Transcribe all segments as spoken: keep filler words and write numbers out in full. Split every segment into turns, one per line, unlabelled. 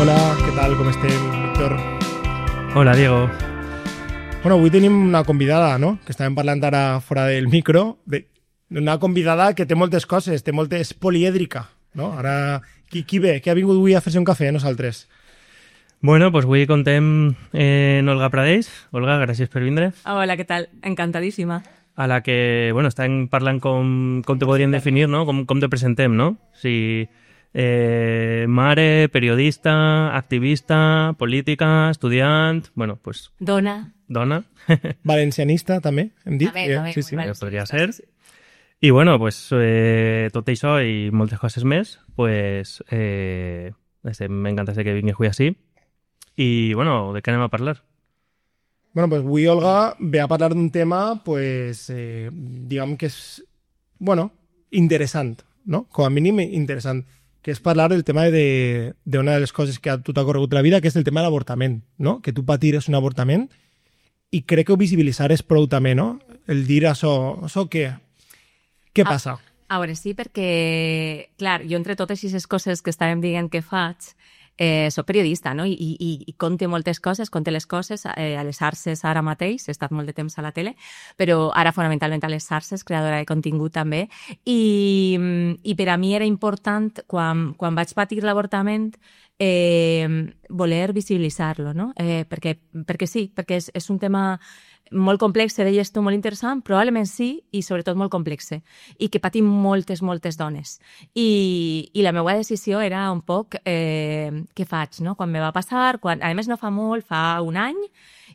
Hola, què tal? Com estem, Víctor?
Hola, Diego.
Bueno, avui tenim una convidada, no? Que estàvem parlant ara fora del micro. De, una convidada que té moltes coses, té moltes... polièdrica, no? Ara, qui, qui ve? Qui ha vingut avui a fer-se un cafè a nosaltres?
Bueno, pues avui contem eh, en Olga Pradeix. Olga, gràcies per vindre.
Hola, què tal? Encantadíssima.
A la que, bueno, estem parlant com, com te podríem definir, no? Com, com te presentem, no? Si, eh, mare, periodista, activista, política, estudiant... Bueno, pues...
Dona.
Dona.
Valencianista, també, hem dit?
També,
Eh,
també.
Sí, sí.
Ja podria ser. I bueno, pues, eh, tot això i moltes coses més, pues, eh, estem encantats de que vingui avui així. I, bueno, de què anem a parlar?
Bueno, pues avui Olga ve a parlar d'un tema, pues, eh, diguem que és, bueno, interessant, no? Com a mínim interessant, que és parlar del tema de, de una de les coses que a tu t'ha corregut la vida, que és el tema de l'avortament, no? Que tu patires un avortament i crec que ho visibilitzar és prou també, no? El dir això, això què? Què passa?
A, a veure, sí, perquè, clar, jo entre totes aquestes coses que estàvem dient que faig, eh, soc periodista, no? I, i, i conte moltes coses, conte les coses eh, a les Arses ara mateix, he estat molt de temps a la tele, però ara fonamentalment a les Arses, creadora de contingut també, i, i per a mi era important, quan, quan vaig patir l'avortament, eh, voler visibilitzar-lo, no? Eh, perquè, perquè sí, perquè és, és un tema molt complex, deies tu, molt interessant, probablement sí, i sobretot molt complex, i que patim moltes, moltes dones. I, i la meva decisió era un poc eh, què faig, no? Quan me va passar, quan, a més no fa molt, fa un any,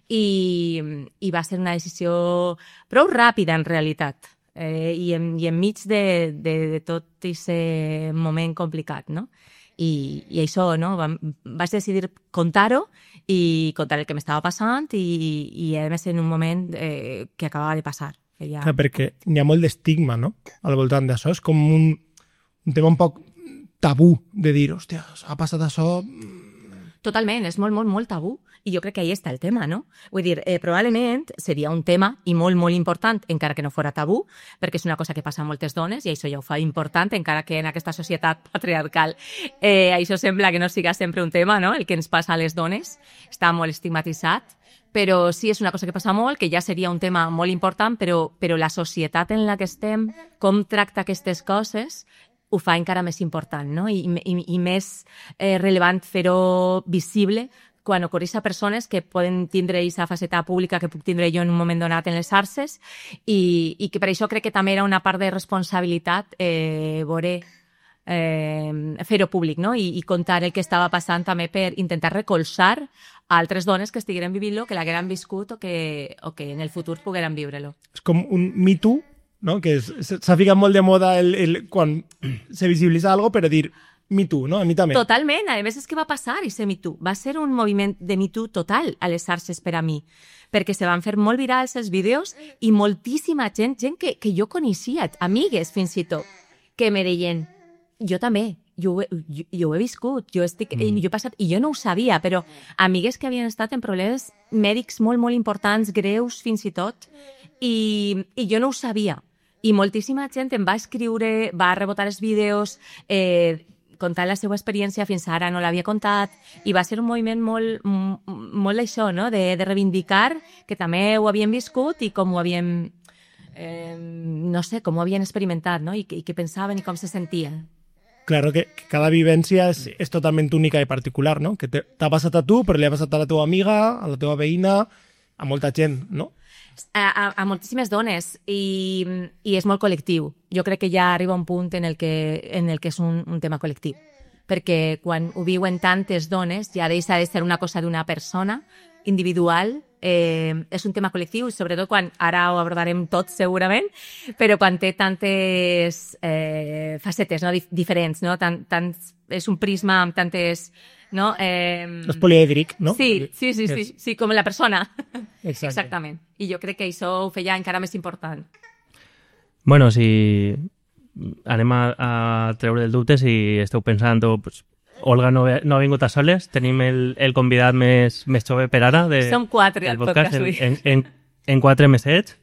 i, i va ser una decisió prou ràpida, en realitat, eh, i, en, i enmig de, de, de tot aquest moment complicat, no? I, i això, no? Vaig decidir contar-ho i contar el que m'estava passant i, i a més en un moment eh, que acabava de passar. Que ja...
Clar, perquè n'hi ha molt d'estigma, no?, al voltant d'això. És com un, un tema un poc tabú de dir, hòstia, ha passat això...
Totalment, és molt, molt, molt tabú. I jo crec que ahí està el tema, no? Vull dir, eh, probablement seria un tema i molt, molt important, encara que no fora tabú, perquè és una cosa que passa a moltes dones i això ja ho fa important, encara que en aquesta societat patriarcal eh, això sembla que no siga sempre un tema, no? El que ens passa a les dones està molt estigmatitzat, però sí és una cosa que passa molt, que ja seria un tema molt important, però, però la societat en la que estem, com tracta aquestes coses, ho fa encara més important, no? I, i, i més eh, relevant fer-ho visible quan ocorreix a persones que poden tindre aquesta faceta pública que puc tindre jo en un moment donat en les Arses i, i que per això crec que també era una part de responsabilitat eh, veure, eh, fer-ho públic, no? I, i contar el que estava passant també per intentar recolzar a altres dones que estigueren vivint-lo, que l'hagueren viscut o que, o que en el futur pogueren viure-lo.
És com un Me Too, no? Que s'ha ficat molt de moda el, el, quan se visibilitza algo, però dir Me Too, no? A mi també.
Totalment. A més, és que va passar i ser Me Too. Va ser un moviment de Me Too total a les Arses per a mi, perquè se van fer molt virals els vídeos i moltíssima gent, gent que, que jo coneixia, amigues fins i tot, que me deien, jo també, jo, jo, jo ho he viscut, jo, estic, mm. jo he passat, i jo no ho sabia, però amigues que havien estat en problemes mèdics molt, molt importants, greus fins i tot, i, i jo no ho sabia. I moltíssima gent em va escriure, va rebotar els vídeos, eh, contant la seva experiència, fins ara no l'havia contat, i va ser un moviment molt, molt això, no? de, de reivindicar que també ho havien viscut i com ho havien, eh, no sé, com ho havien experimentat, no? I, i què pensaven i com se sentien.
Claro que, que cada vivència és, és totalment única i particular, no? Que t'ha passat a tu, però li ha passat a la teva amiga, a la teva veïna, a molta gent, no?
A, a, a moltíssimes dones i, i és molt col·lectiu. Jo crec que ja arriba un punt en el que, en el que és un, un tema col·lectiu. Perquè quan ho viuen tantes dones ja deixa de ser una cosa d'una persona individual, eh, és un tema col·lectiu i sobretot quan, ara ho abordarem tots segurament, però quan té tantes eh, facetes, no? Dif diferents, no? Tant, tant, és un prisma amb tantes... No? Eh...
És polièdric, no?
Sí, sí, sí, sí, sí, com la persona.
Exacte.
Exactament. I jo crec que això ho feia encara més important.
Bueno, si anem a, a treure el dubte, si esteu pensant, pues, Olga no, no ha vingut a soles, tenim el, el convidat més, més jove per ara. De,
Som quatre al podcast,
podcast en, en, en quatre mesets.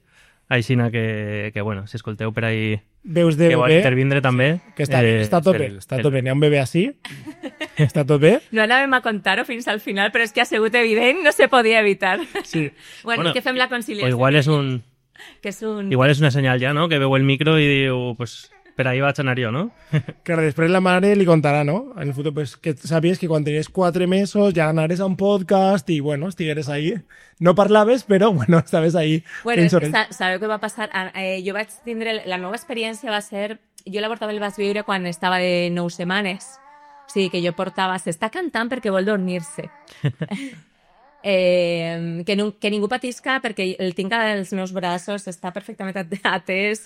Així que, que, bueno, si escolteu per ahí
veus de
que vol
bebè,
intervindre també...
que està,
eh,
està a tope,
el,
està a tope. N'hi ha un bebè així. Està tot bé?
No anàvem a contar-ho fins al final, però és que ha sigut evident, no se podia evitar.
Sí.
Bueno,
Bueno,
és que fem la conciliació.
O igual és un...
Que és un...
Igual és una senyal ja, no? Que veu el micro i diu, pues, per ahí vaig anar jo, no?
Claro, després la mare li contarà, no? En el futur, pues, que sabies que quan tenies quatre mesos ja anares a un podcast i, bueno, estigueres ahí. No parlaves, però, bueno, estaves ahí.
Bueno, és que sa sabeu què va passar? Eh, jo vaig tindre... La meva experiència va ser... Jo l'avortament el vaig viure quan estava de nou setmanes. O sigui, que jo portava... S'està cantant perquè vol dormir-se. Eh, que, no, que ningú patisca perquè el tinc als meus braços, està perfectament atès.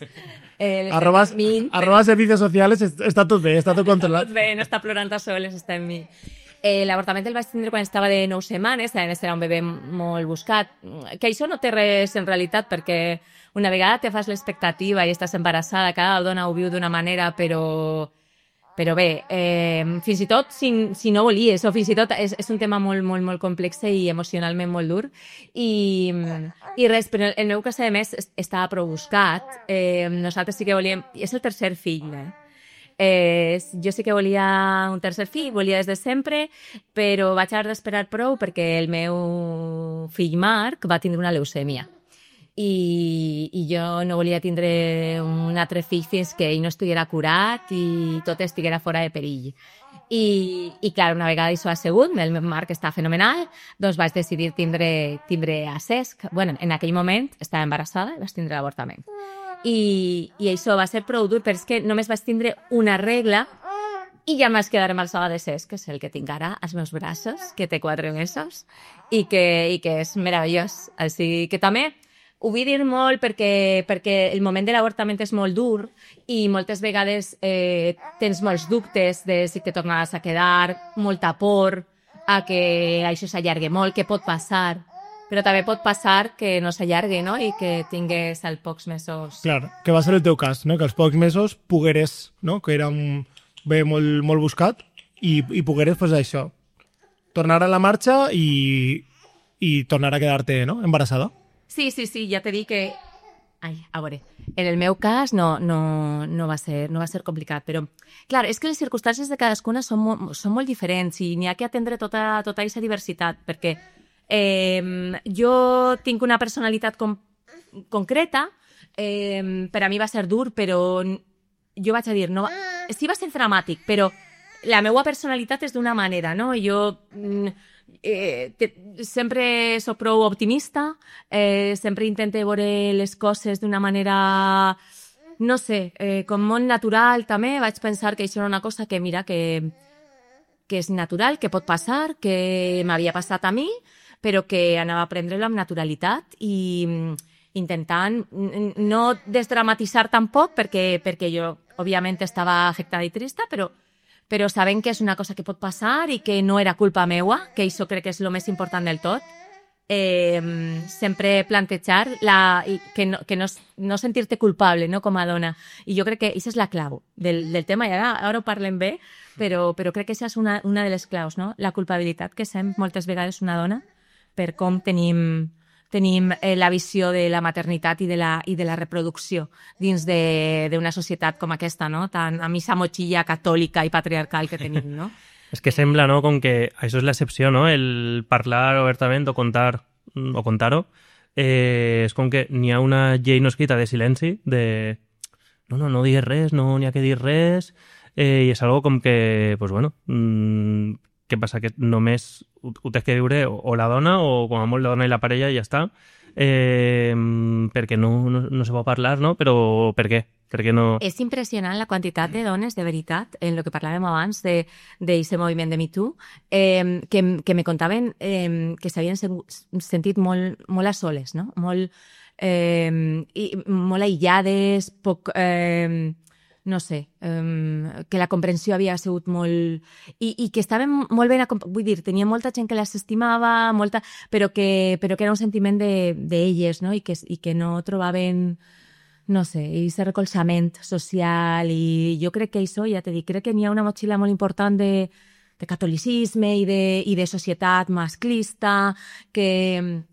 Eh,
arrobas,
min,
arrobas servicios sociales, està tot bé, està tot controlat.
Tot bé, no està plorant a soles, està en mi. Eh, L'avortament el vaig tindre quan estava de nou setmanes, a més era un bebè molt buscat, que això no té res en realitat, perquè una vegada te fas l'expectativa i estàs embarassada, cada dona ho viu d'una manera, però... Però bé, eh, fins i tot si, si no volies, o fins i tot és, és un tema molt, molt, molt complex i emocionalment molt dur. I, i res, però el meu cas, a més, estava prou buscat. Eh, nosaltres sí que volíem... És el tercer fill, eh? Eh, jo sí que volia un tercer fill, volia des de sempre, però vaig haver d'esperar prou perquè el meu fill Marc va tindre una leucèmia. I, i jo no volia tindre un altre fill fins que ell no estiguera curat i tot estiguera fora de perill. I, i clar, una vegada això ha sigut, el meu Marc està fenomenal, doncs vaig decidir tindre, tindre a Cesc. Bueno, en aquell moment estava embarassada i vaig tindre l'avortament. I, I això va ser prou dur, però és que només vaig tindre una regla i ja em vaig quedar embarassada de Cesc, que és el que tinc ara als meus braços, que té quatre mesos i que, i que és meravellós. Així que també... Ho vull dir molt perquè, perquè el moment de l'avortament és molt dur i moltes vegades eh, tens molts dubtes de si te tornaràs a quedar, molta por a que això s'allargui molt, què pot passar. Però també pot passar que no s'allargui, no? I que tingués als pocs mesos...
Clar, que va ser el teu cas, no? Que als pocs mesos pogueres, no? Que era un bé molt, molt buscat i, i pogueres, pues, això, tornar a la marxa i, i tornar a quedar-te, no? Embarassada.
Sí, sí, sí, ja t'he dit que... Ai, a veure, en el meu cas no, no, no, va ser, no va ser complicat, però, clar, és que les circumstàncies de cadascuna són molt, són molt diferents i n'hi ha que atendre tota, tota aquesta diversitat, perquè eh, jo tinc una personalitat com, concreta, eh, per a mi va ser dur, però jo vaig a dir, no, sí va ser dramàtic, però la meva personalitat és d'una manera, no? Jo... Eh, te, sempre soc prou optimista, eh, sempre intento veure les coses d'una manera, no sé, eh, com molt natural també. Vaig pensar que això era una cosa que, mira, que, que és natural, que pot passar, que m'havia passat a mi, però que anava a prendre-lo amb naturalitat i intentant no desdramatitzar tampoc, perquè, perquè jo, òbviament, estava afectada i trista, però però sabent que és una cosa que pot passar i que no era culpa meua, que això crec que és el més important del tot. Eh, sempre plantejar la, i que, no, que no, no sentir-te culpable, no, com a dona. I jo crec que això és la clau del, del tema, i ara, ara ho parlem bé, però, però crec que això és una, una de les claus, no? La culpabilitat que sent moltes vegades una dona per com tenim... tenim eh, la visió de la maternitat i de la, i de la reproducció dins d'una societat com aquesta, no? Tan, amb aquesta motxilla catòlica i patriarcal que tenim, no?
És que sembla, no?, com que això és l'excepció, no?, el parlar obertament o contar o contar-ho, eh, és com que n'hi ha una llei no escrita de silenci, de no, no, no digues res, no n'hi ha que dir res, eh, i és algo com que, pues bueno, mmm, què passa? Que només ho, ho tens que viure o, o la dona o com a molt la dona i la parella i ja està, eh, perquè no, no, no se pot parlar, no? Però per què? Per què no...
És impressionant la quantitat de dones, de veritat, en el que parlàvem abans d'aquest moviment de Me Too, eh, que, que me contaven eh, que s'havien sentit molt, molt a soles, no? Molt, eh, i, molt aïllades, poc... Eh, no sé, um, que la comprensió havia sigut molt... I, i que estaven molt ben... Vull dir, tenia molta gent que les estimava, molta, però, que, però que era un sentiment d'elles, de, no? I que, i que no trobaven, no sé, aquest recolzament social. I jo crec que això, ja t'he dit, crec que n'hi ha una motxilla molt important de, de catolicisme i de, i de societat masclista que...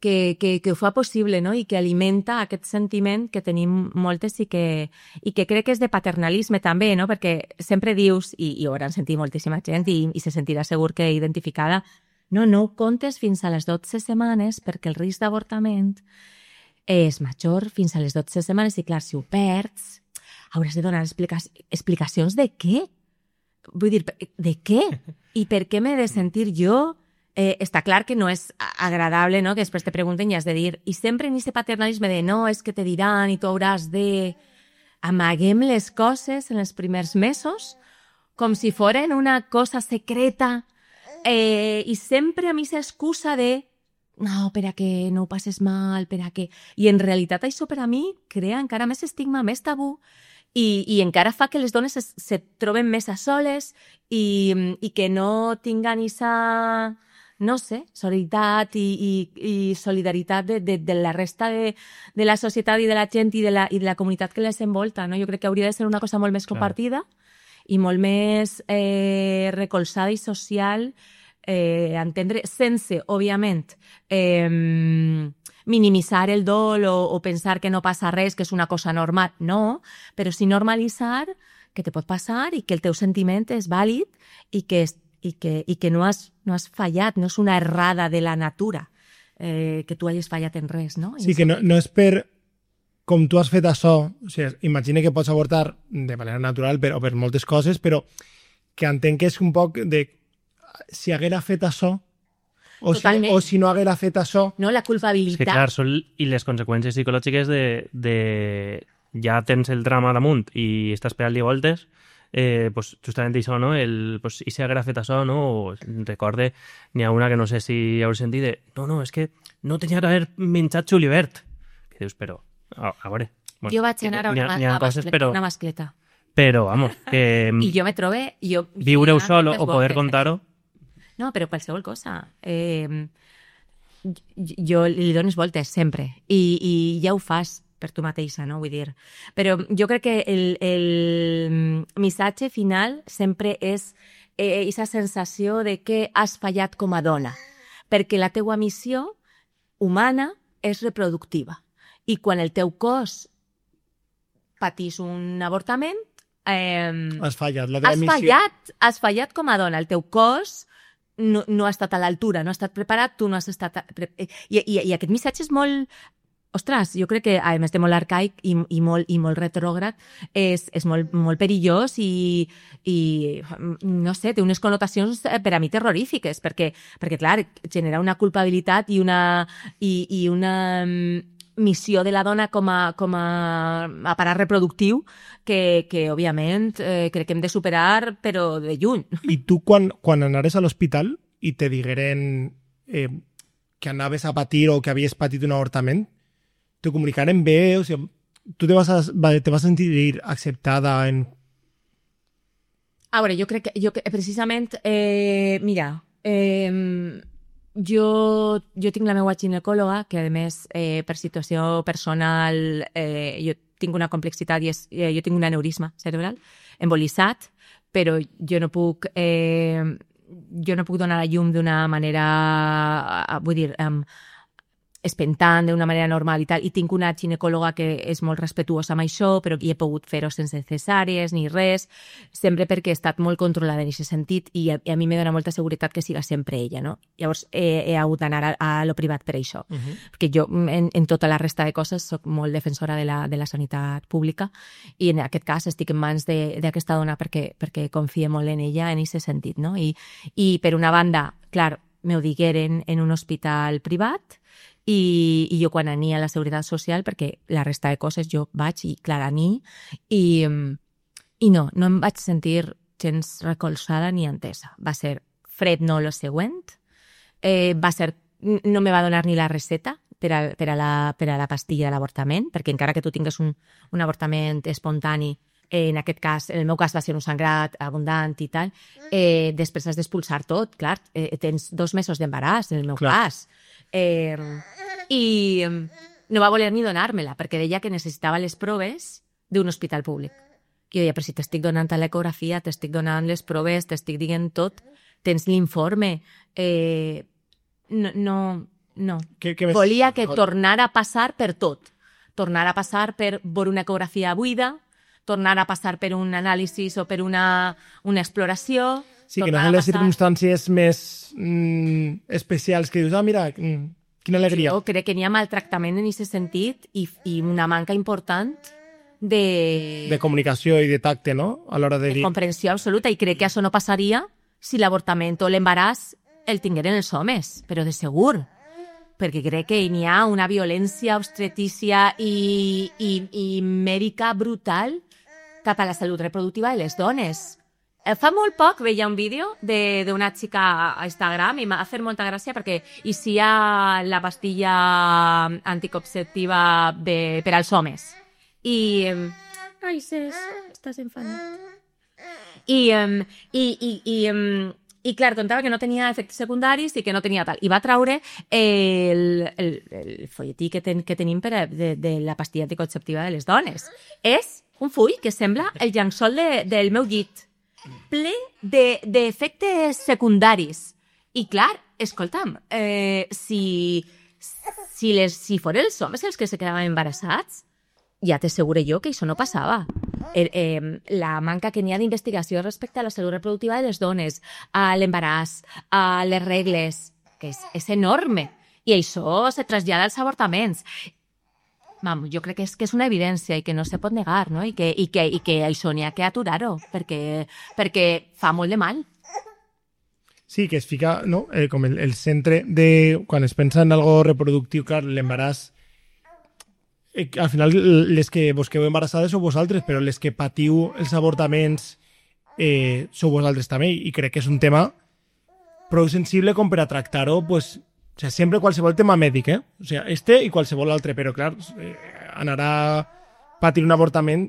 que, que, que ho fa possible, no? I que alimenta aquest sentiment que tenim moltes i que, i que crec que és de paternalisme també, no? Perquè sempre dius, i, i ho hauran sentit moltíssima gent i, i se sentirà segur que identificada, no, no ho comptes fins a les dotze setmanes perquè el risc d'avortament és major fins a les dotze setmanes i clar, si ho perds, hauràs de donar explica explicacions de què? Vull dir, de què? I per què m'he de sentir jo? Eh, està clar que no és agradable, no?, que després te pregunten i has de dir, i sempre en aquest paternalisme de no, és que te diran i tu hauràs de... Amaguem les coses en els primers mesos com si foren una cosa secreta eh, i sempre a mi s'excusa de no, per a que no ho passes mal, per a que... I en realitat això per a mi crea encara més estigma, més tabú i, i encara fa que les dones es, se troben més a soles i, i que no tinguen aquesta... no sé, solidaritat i, i, i solidaritat de, de, de la resta de, de la societat i de la gent i de la, i de la comunitat que les envolta, no? Jo crec que hauria de ser una cosa molt més compartida i molt més eh, recolzada i social, eh, entendre, sense, òbviament, eh, minimitzar el dol o, o pensar que no passa res, que és una cosa normal, no, però sí normalitzar que te pot passar i que el teu sentiment és vàlid i que és i que, i que no, has, no has fallat, no és una errada de la natura, eh, que tu hagis fallat en res, no?
Sí, que no, no és per com tu has fet això, o sigui, imagina que pots avortar de manera natural per, o per moltes coses, però que entenc que és un poc de si haguera fet això o si, o si no haguera fet això...
No, la culpabilitat.
Sí, clar, són, i les conseqüències psicològiques de, de ja tens el drama damunt i estàs pegant-li voltes. Eh, pues, justament això, no? El, pues, i si haguera fet això, no? O, recorde, n'hi ha una que no sé si heu sentit de no, no, és que no tenia d'haver menjat julivert. Que dius, però, a, a veure... Bueno,
jo vaig anar a una,
ha, ha coses, però,
una mascleta.
Però, vamos, que...
I jo me trobe... Jo,
viure-ho sol o poder contar-ho...
No, però qualsevol cosa. Eh, jo li dones voltes, sempre. I, i ja ho fas per tu mateixa, no? Vull dir. Però jo crec que el, el missatge final sempre és aquesta eh, sensació de que has fallat com a dona, perquè la teua missió humana és reproductiva. I quan el teu cos patís un avortament... Eh,
has fallat. La teva
has,
missió...
fallat has fallat com a dona. El teu cos no, no ha estat a l'altura, no ha estat preparat, tu no has estat... I, i, i aquest missatge és molt... Ostres, jo crec que, a més de molt arcaic i, i, molt, i molt retrògrad, és, és molt, molt perillós i, i, no sé, té unes connotacions per a mi terrorífiques, perquè, perquè clar, genera una culpabilitat i una, i, i una missió de la dona com a, com a aparat reproductiu que, que òbviament, eh, crec que hem de superar, però de lluny.
I tu, quan, quan anaves a l'hospital i te digueren eh, que anaves a patir o que havies patit un avortament, te comunicaren bé, o sigui, tu te vas, a, te vas a sentir acceptada en...
A veure, jo crec que, jo, precisament, eh, mira, eh, jo, jo tinc la meva ginecòloga, que a més, eh, per situació personal, eh, jo tinc una complexitat i és, eh, jo tinc un aneurisma cerebral embolitzat, però jo no puc... Eh, jo no puc donar la llum d'una manera, vull dir, um, espentant d'una manera normal i tal, i tinc una ginecòloga que és molt respetuosa amb això, però hi he pogut fer-ho sense cesàries ni res, sempre perquè he estat molt controlada en aquest sentit i a, i a mi me dona molta seguretat que siga sempre ella, no? Llavors he, he hagut d'anar a, a lo privat per això, uh -huh. perquè jo en, en tota la resta de coses soc molt defensora de la, de la sanitat pública i en aquest cas estic en mans d'aquesta dona perquè, perquè confie molt en ella en aquest sentit, no? I, i per una banda, clar, m'ho digueren en un hospital privat, I, i jo quan ania a la Seguretat Social, perquè la resta de coses jo vaig i clar ani, i, i no, no em vaig sentir gens recolzada ni entesa. Va ser fred no lo següent, eh, va ser, no me va donar ni la receta per a, per a, la, per a la pastilla de l'avortament, perquè encara que tu tingues un, un avortament espontani, eh, en aquest cas, en el meu cas va ser un sangrat abundant i tal, eh, després has d'expulsar tot, clar, eh, tens dos mesos d'embaràs, en el meu clar. cas, Eh, i no va voler ni donar-me-la perquè deia que necessitava les proves d'un hospital públic. I jo deia, però si t'estic donant l'ecografia, t'estic donant les proves, t'estic dient tot, tens l'informe, eh, no, no, No.
Què, què més?
Volia que tornara a passar per tot. Tornar a passar per veure una ecografia buida, tornar a passar per un anàlisi o per una, una exploració...
Sí, que no són les circumstàncies més mm, especials que dius, ah, mira, mm, quina alegria.
Jo crec que n'hi ha maltractament en aquest sentit i, i una manca important de...
De comunicació i de tacte, no? A l'hora de
de
dir...
comprensió absoluta, i crec que això no passaria si l'avortament o l'embaràs el tingueren els homes, però de segur, perquè crec que n'hi ha una violència obstetícia i, i, i mèdica brutal cap a la salut reproductiva de les dones. Fa molt poc veia un vídeo d'una xica a Instagram i m'ha fet molta gràcia perquè hi ha la pastilla anticonceptiva de, per als homes. I... Ai, Cés, estàs enfadant. I, um, i, i, i, um, i clar, contava que no tenia efectes secundaris i que no tenia tal. I va traure el, el, el folletí que, ten, que tenim per a, de, de la pastilla anticonceptiva de les dones. És un full que sembla el llençol de, del meu llit, ple d'efectes de, secundaris. I clar, escolta'm, eh, si, si, les, si foren els homes els que se quedaven embarassats, ja t'asseguro jo que això no passava. Eh, eh, la manca que n'hi ha d'investigació respecte a la salut reproductiva de les dones, a l'embaràs, a les regles, que és, és enorme. I això se trasllada als avortaments. Vam, jo crec que és, que és una evidència i que no se pot negar, no? I que, i que, i que això n'hi ha que aturar-ho, perquè, perquè fa molt de mal.
Sí, que es fica, no? Eh, com el, el centre de... Quan es pensa en algo reproductiu, clar, l'embaràs... Eh, al final, les que vos quedeu embarassades sou vosaltres, però les que patiu els avortaments eh, sou vosaltres també, i crec que és un tema prou sensible com per a tractar-ho, pues, o sea, sempre qualsevol tema mèdic, eh? O sea, este i qualsevol altre, però clar, eh, anar a patir un avortament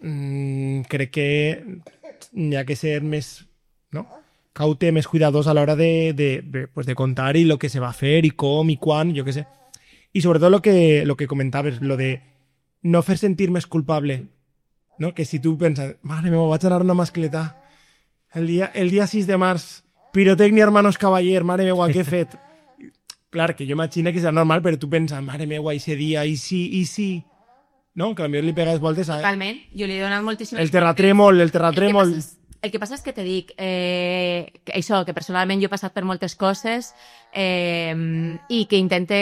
mmm, crec que hi ha que ser més, no? Caute, més cuidadós a l'hora de, de, de, pues de contar i lo que se va a fer i com i quan, jo què sé. I sobretot lo que, lo que comentaves, lo de no fer sentir més culpable, no? Que si tu penses, mare meva, vaig anar a una mascleta el dia, el dia sis de març, pirotecnia hermanos cavaller, mare meva, què he fet? Clar, que jo imagino que serà normal, però tu penses, mare meva, i ese dia, i sí, i sí, no? Que potser li pegues voltes a...
Totalment, jo li he donat moltíssimes...
El terratrèmol, el terratrèmol...
El El que passa és que te dic, eh, que això, que personalment jo he passat per moltes coses eh, i que intente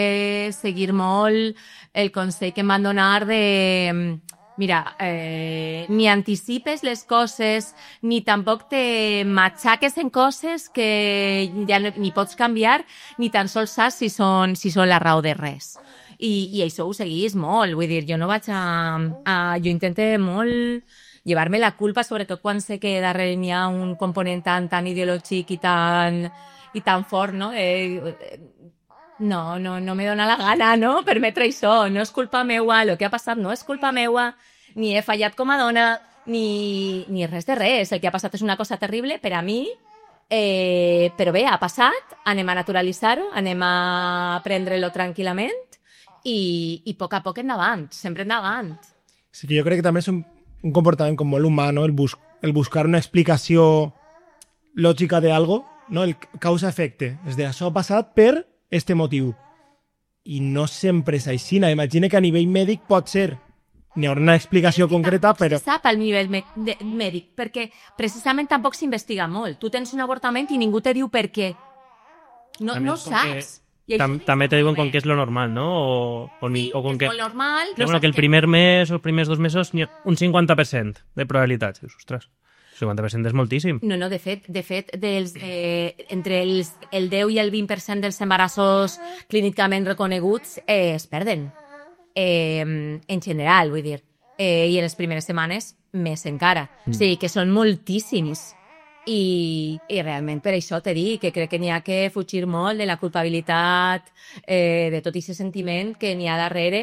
seguir molt el consell que em van donar de, mira, eh, ni anticipes les coses, ni tampoc te matxaques en coses que ja no, ni pots canviar, ni tan sols saps si són, si són la raó de res. I, i això ho seguís molt, vull dir, jo no vaig a... a jo intente molt... llevar-me la culpa, sobretot quan sé que darrere n'hi ha un component tan, tan ideològic i tan, i tan fort, no? Eh, no, no, no me dona la gana, no?, permetre això. No és culpa meua, el que ha passat no és culpa meua, ni he fallat com a dona, ni, ni res de res. El que ha passat és una cosa terrible per a mi, eh, però bé, ha passat, anem a naturalitzar-ho, anem a prendre-lo tranquil·lament i, i a poc a poc endavant, sempre endavant.
Sí que jo crec que també és un un comportament com molt humà, no? El, bus el buscar una explicació lògica de algo, no? El causa-efecte. És de això ha passat per este motiu. I no sempre és així. Imagina que a nivell mèdic pot ser. N'hi haurà una explicació concreta, però...
Se sap al nivell mèdic, perquè precisament tampoc s'investiga molt. Tu tens un avortament i ningú te diu per què. No, no saps.
Tam, també te diuen con qué es lo normal, ¿no? O, o, ni,
sí,
o con
que
qué...
és molt normal.
No bueno, que el primer mes o els primers dos mesos un cinquanta per cent de probabilitats. Dius, ostres, cinquanta per cent és moltíssim.
No, no, de fet, de fet dels, eh, entre els, el deu i el vint per cent dels embarassos clínicament reconeguts eh, es perden. Eh, en general, vull dir. Eh, I en les primeres setmanes, més encara. Mm. O sigui, que són moltíssims. I, i realment per això t'he dit que crec que n'hi ha que fugir molt de la culpabilitat, eh, de tot aquest sentiment que n'hi ha darrere.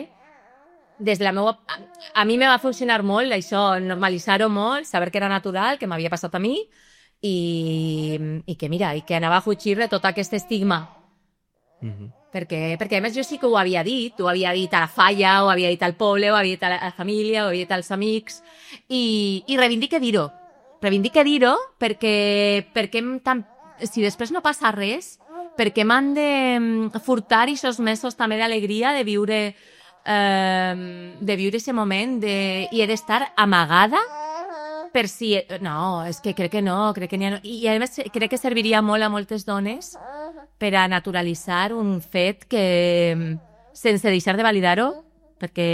Des de la meua... A, a mi me va funcionar molt això, normalitzar-ho molt, saber que era natural, que m'havia passat a mi i, i que mira, i que anava a fugir de tot aquest estigma. Mm-hmm. Perquè, perquè a més jo sí que ho havia dit, ho havia dit a la falla, ho havia dit al poble, ho havia dit a la, a la família, ho havia dit als amics i, i reivindique dir-ho. Reivindique dir-ho perquè, perquè tam, si després no passa res, perquè m'han de furtar aquests mesos també d'alegria de viure eh, de viure aquest moment de, i he d'estar amagada per si... No, és que crec que no, crec que n'hi ha... I a més crec que serviria molt a moltes dones per a naturalitzar un fet que, sense deixar de validar-ho, perquè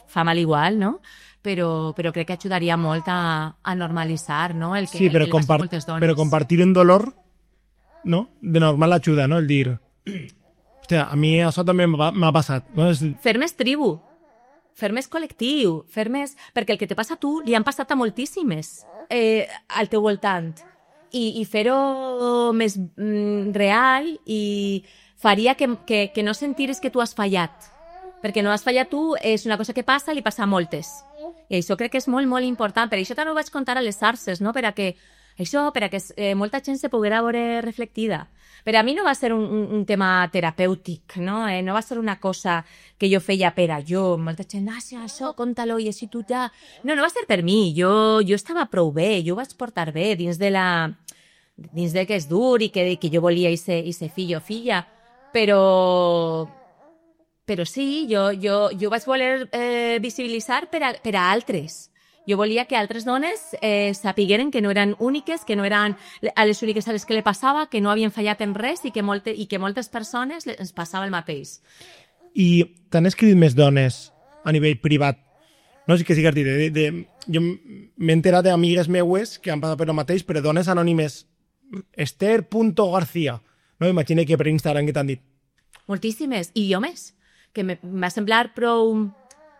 fa mal igual, no? Però, però crec que ajudaria molt a, a normalitzar, no? El que,
sí, però,
el que
compart
moltes dones.
però compartir un dolor, no? De normal ajuda, no? El dir... Hòstia, a mi això també m'ha passat. No? És...
Fer més tribu, fer més col·lectiu, fer més... Perquè el que te passa a tu li han passat a moltíssimes eh, al teu voltant. I, i fer-ho més mm, real i faria que, que, que no sentiris que tu has fallat. Perquè no has fallat tu, és una cosa que passa i li passa a moltes. I això crec que és molt, molt important. Per això també ho vaig contar a les arces, no? Per a que això, per a que eh, molta gent se poguera veure reflectida. Per a mi no va ser un, un, un tema terapèutic, no? Eh, no va ser una cosa que jo feia per a jo. Molta gent, ah, sí, això, conta-lo, i així tu ja... No, no va ser per mi. Jo, jo estava prou bé, jo ho vaig portar bé dins de la... dins de que és dur i que, que jo volia ese, ese fill o filla. Però... Però sí, jo, jo, jo vaig voler eh, visibilitzar per a, per a altres. Jo volia que altres dones eh, sapigueren que no eren úniques, que no eren a les úniques a les que li passava, que no havien fallat en res i que, molte, i que moltes persones ens passava el mateix.
I t'han escrit més dones a nivell privat? No sé què sigues dit. De, de, jo m'he enterat d'amigues meues que han passat per el mateix, però dones anònimes. Esther punto García. No m'imagino que per Instagram que t'han dit.
Moltíssimes. I jo més. Que m'ha semblat prou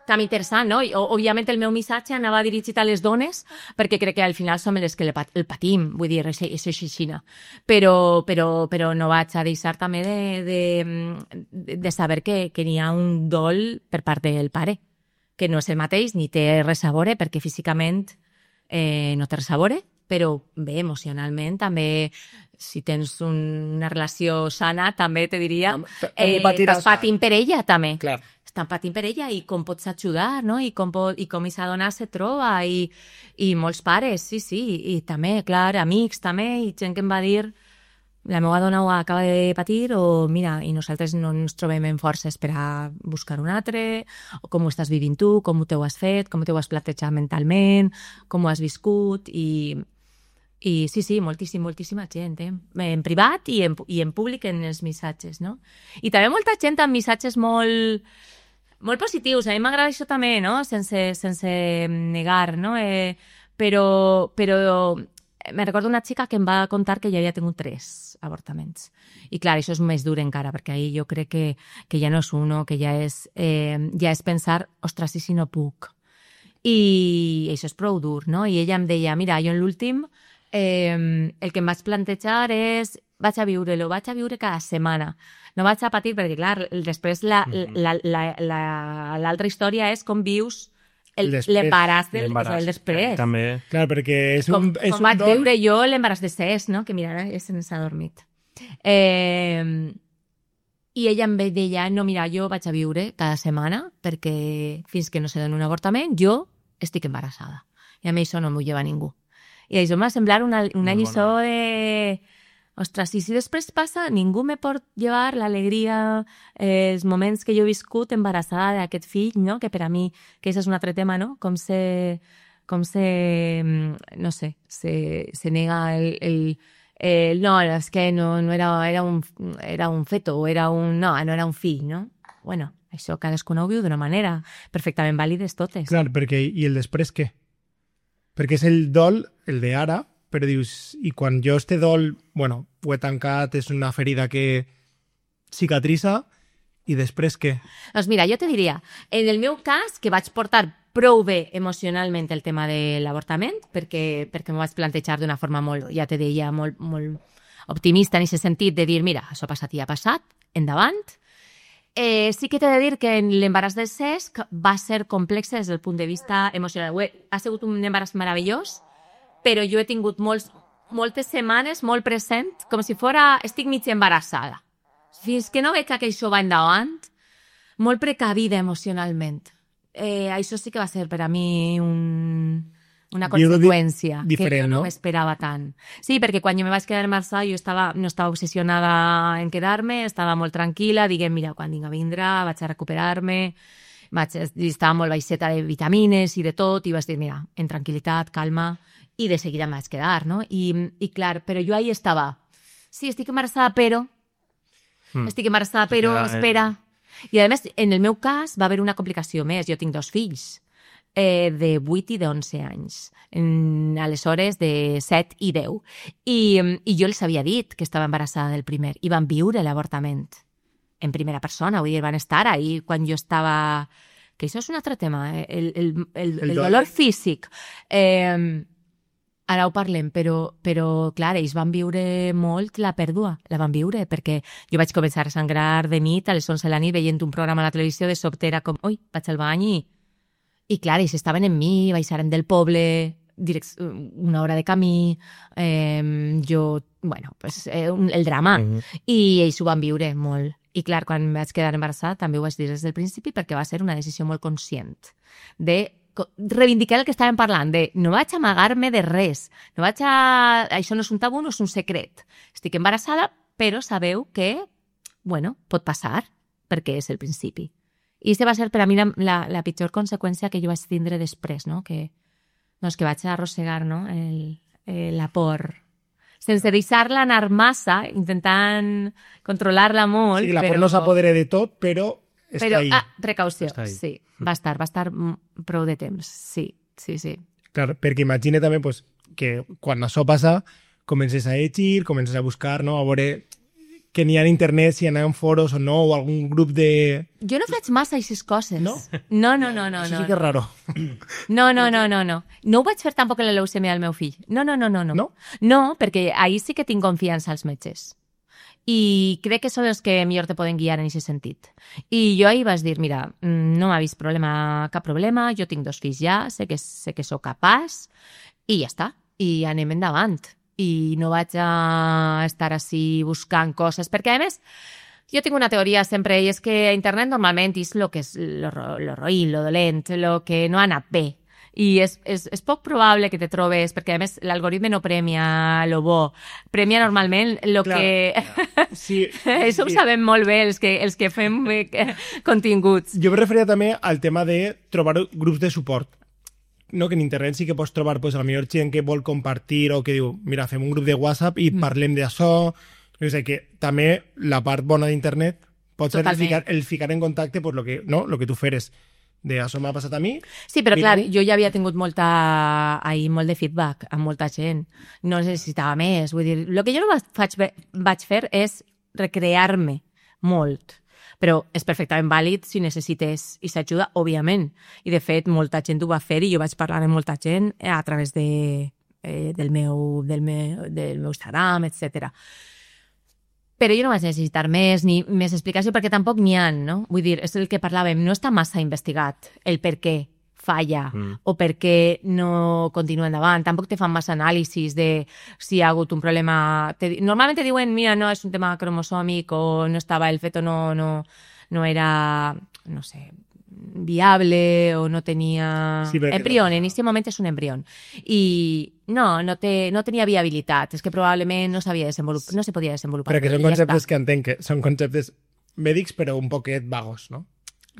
també interessant, no? I, òbviament el meu missatge anava dirigit a les dones perquè crec que al final som les que el patim, vull dir, és així. Però, però, però no vaig a deixar també de, de, de saber que, que n'hi ha un dol per part del pare, que no és el mateix, ni té res a veure, perquè físicament eh, no té res a veure, però bé, emocionalment també, si tens un, una relació sana, també te diria, eh, estàs patint per ella també.
Clar.
Estan patint per ella i com pots ajudar, no? I com, pot, i com aquesta dona se troba i, i molts pares, sí, sí, i també, clar, amics també, i gent que em va dir la meva dona ho acaba de patir o mira, i nosaltres no ens trobem en forces per a buscar un altre, o com ho estàs vivint tu, com t'ho has fet, com t'ho has plantejat mentalment, com ho has viscut i... I sí, sí, moltíssim, moltíssima gent, eh? En privat i en, i en públic en els missatges, no? I també molta gent amb missatges molt, molt positius. A mi m'agrada això també, no? Sense, sense negar, no? Eh, però, però me recordo una xica que em va contar que ja havia tingut tres avortaments. I clar, això és més dur encara, perquè ahir jo crec que, que ja no és uno, que ja és, eh, ja és pensar, ostres, i si no puc? I això és prou dur, no? I ella em deia, mira, jo en l'últim Eh, el que em vaig plantejar és vaig a viure-lo, vaig a viure cada setmana. No vaig a patir, perquè clar, després l'altra la, la, la, la història és com vius l'embaràs del o sigui, el després.
També.
Clar, perquè és
com,
un, és
com
un
vaig
don...
viure jo l'embaràs de ses, no? Que mira, ara se'ns ha dormit. Eh, I ella em deia, no, mira, jo vaig a viure cada setmana perquè fins que no se doni un avortament jo estic embarassada. I a mi això no m'ho lleva ningú. I això m'ha semblat una, una lliçó de... Ostres, i si després passa, ningú me pot llevar l'alegria, eh, els moments que jo he viscut embarassada d'aquest fill, no? Que per a mi, que això és un altre tema, no? Com se... Com se... No sé, se, se nega el... el eh, no, és que no, no era, era, un, era un feto, o era un... No, no era un fill, no? Bueno, això cadascú ho viu d'una manera perfectament vàlides totes.
Clar, perquè... I el després què? Perquè és el dol, el de ara, però dius, i quan jo este dol, bueno, ho he tancat, és una ferida que cicatritza, i després què?
Doncs mira, jo te diria, en el meu cas, que vaig portar prou bé emocionalment el tema de l'avortament, perquè, perquè m'ho vaig plantejar d'una forma molt, ja te deia, molt, molt optimista en aquest sentit, de dir, mira, això ha passat i ha passat, endavant. Eh, sí que t'he de dir que l'embaràs del Cesc va ser complex des del punt de vista emocional. Ha sigut un embaràs meravellós, però jo he tingut molts, moltes setmanes molt present, com si fora, estic mig embarassada. Fins que no veig que això va endavant, molt precavida emocionalment. Eh, això sí que va ser per a mi un, una
Viure di-
conseqüència que
diferent,
jo no
no?
m'esperava tant. Sí, perquè quan jo me vaig quedar a Marçà jo estava, no estava obsessionada en quedar-me, estava molt tranquil·la, diguem, mira, quan vinga vindrà, vaig a recuperar-me, vaig, estava molt baixeta de vitamines i de tot, i vaig dir, mira, en tranquil·litat, calma, i de seguida em vaig quedar, no? I, i clar, però jo ahí estava, sí, estic embarassada, però,
Mm.
estic embarassada, però,
queda-
espera. I a més, en el meu cas va haver una complicació més, jo tinc dos fills, eh, de vuit i d'onze anys, en, aleshores de set i deu, I, i jo els havia dit que estava embarassada del primer, i van viure l'avortament en primera persona, vull dir, van estar ahí quan jo estava... Que això és un altre tema, eh? el, el, el,
El
el
dolor.
dolor físic. Eh, ara ho parlem, però, però clar, ells van viure molt la pèrdua, la van viure, perquè jo vaig començar a sangrar de nit, a les onze de la nit, veient un programa a la televisió, de sobte era com, ui, vaig al bany i... I clar, ells estaven en mi, baixaren del poble, direct, una hora de camí, eh, jo, bueno, pues, eh, un- el drama.
Mhm.
I ells ho van viure molt. I clar, quan em vaig quedar embarassada també ho vaig dir des del principi perquè va ser una decisió molt conscient de co- reivindicar el que estàvem parlant, de no vaig amagar-me de res, no vaig a... això no és un tabú, no és un secret. Estic embarassada, però sabeu que, bueno, pot passar, perquè és el principi. I aquesta va ser per a mi la, la, la pitjor conseqüència que jo vaig tindre després, no? Que, doncs que vaig arrossegar, no? El, el, la por, sense deixar-la anar massa, intentant controlar-la molt.
Sí, la
però,
por no s'apodera de tot, però està
però,
ahí.
ah, precaució,
Està ahí.
sí. Va estar, va estar mm, prou de temps, sí, sí, sí.
Clar, perquè imagina també pues, que quan això passa comences a llegir, comences a buscar, no? A veure que n'hi ha a internet, si hi ha en foros o no, o algun grup de...
Jo no faig massa aquestes coses.
No?
No, no, no, no.
Això
no,
sí que és raro.
No, no, no, no, no. No ho vaig fer tampoc en la leucèmia del meu fill. No, no, no, no. No,
No?
no perquè ahir sí que tinc confiança als metges. I crec que són els que millor te poden guiar en aquest sentit. I jo ahir vaig dir, mira, mm, no m'ha vist problema, cap problema, jo tinc dos fills ja, sé que, sé que sóc capaç, i ja està. I anem endavant. I no vaig a estar així buscant coses, perquè a més jo tinc una teoria sempre, i és que a internet normalment és el que és lo, ro- lo roïn, lo dolent, lo que no ha anat bé. I és, és, és poc probable que te trobes, perquè a més l'algoritme no premia lo bo, premia normalment lo
Clar.
que...
Sí,
Això ho
sí.
sabem molt bé els que, els que fem eh, continguts.
Jo em referia també al tema de trobar grups de suport. No, que en internet sí que pots trobar pues, a la millor gent que vol compartir o que diu, mira, fem un grup de WhatsApp i parlem d'això. O sigui que també la part bona d'internet pot ser el
Totalment.
ficar, el ficar en contacte pues, lo que, no, lo que tu feres. De això m'ha passat a mi.
Sí, però
Mira,
clar, jo ja havia tingut molta, ahir, molt de feedback amb molta gent. No necessitava més. Vull dir, el que jo no vaig, faig, vaig fer és recrear-me molt. Però és perfectament vàlid si necessites i s'ajuda, òbviament. I, de fet, molta gent ho va fer i jo vaig parlar amb molta gent a través de, eh, del, meu, del, meu, del meu Instagram, etcètera. Però jo no vaig necessitar més ni més explicació perquè tampoc n'hi ha, no? Vull dir, és el que parlàvem, no està massa investigat el per què falla
Mm.
o per què no continua endavant. Tampoc te fan massa anàlisis de si hi ha hagut un problema... Te, normalment te diuen, mira, no, és un tema cromosòmic o no estava el feto, no, no, no era, no sé, viable o no tenia...
Sí, perquè-
embrión, en aquest moment és un embrión. I no, no, té, no tenia viabilitat. És que probablement no s'havia desenvolupat, no se podia desenvolupar.
Però que són
I ja
conceptes
està.
que entenc que són conceptes mèdics però un poquet vagos, no?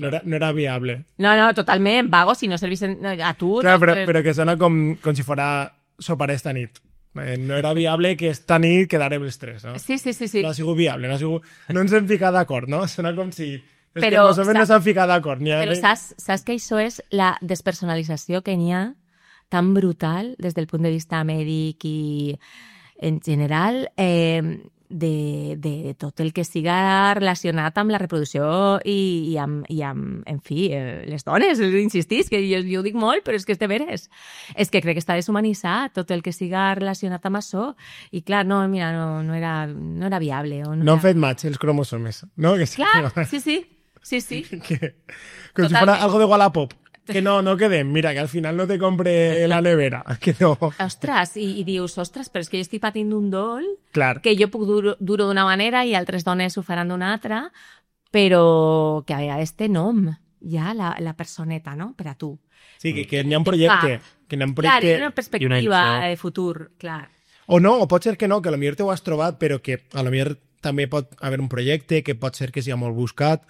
No era, no era viable.
No, no, totalment, vagos, si no servissen a tu.
Clar, però,
doncs,
però que sona com, com si fora sopar esta nit. Eh, no era viable que esta nit quedarem els tres, no?
Sí, sí, sí, sí.
No ha sigut viable, no ha sigut... No ens hem ficat d'acord, no? Sona com si... És
Però,
que més o menys no
saps-
s'han ficat d'acord. Ni ha...
Però saps, saps que això és la despersonalització que n'hi ha tan brutal des del punt de vista mèdic i en general eh, de, de tot el que siga relacionat amb la reproducció i, i, amb, i amb, en fi, eh, les dones, insistís, que jo, jo ho dic molt, però és que és de veres. És que crec que està deshumanitzat tot el que siga relacionat amb això. I clar, no, mira, no, no, era, no era viable. O no,
No han
era...
fet match els cromosomes, no? Que sí,
Clar, sí, sí, sí, sí.
que, com si
Totalment.
fuera algo de Wallapop. Que no, no quedem. Mira, que al final no te compre la nevera. Que no.
Ostres, i, i dius, ostres, però és que jo estic patint d'un dol
Clar.
que jo puc dur, dur-ho d'una manera i altres dones ho faran d'una altra, però que a vegades té nom, ja, la, la personeta, no?, per a tu.
Sí, que, que n'hi ha un projecte. Que n'hi ha un projecte...
Clar, una perspectiva de futur, clar.
O no, o pot ser que no, que potser te ho has trobat, però que a lo millor també pot haver un projecte, que pot ser que sigui molt buscat,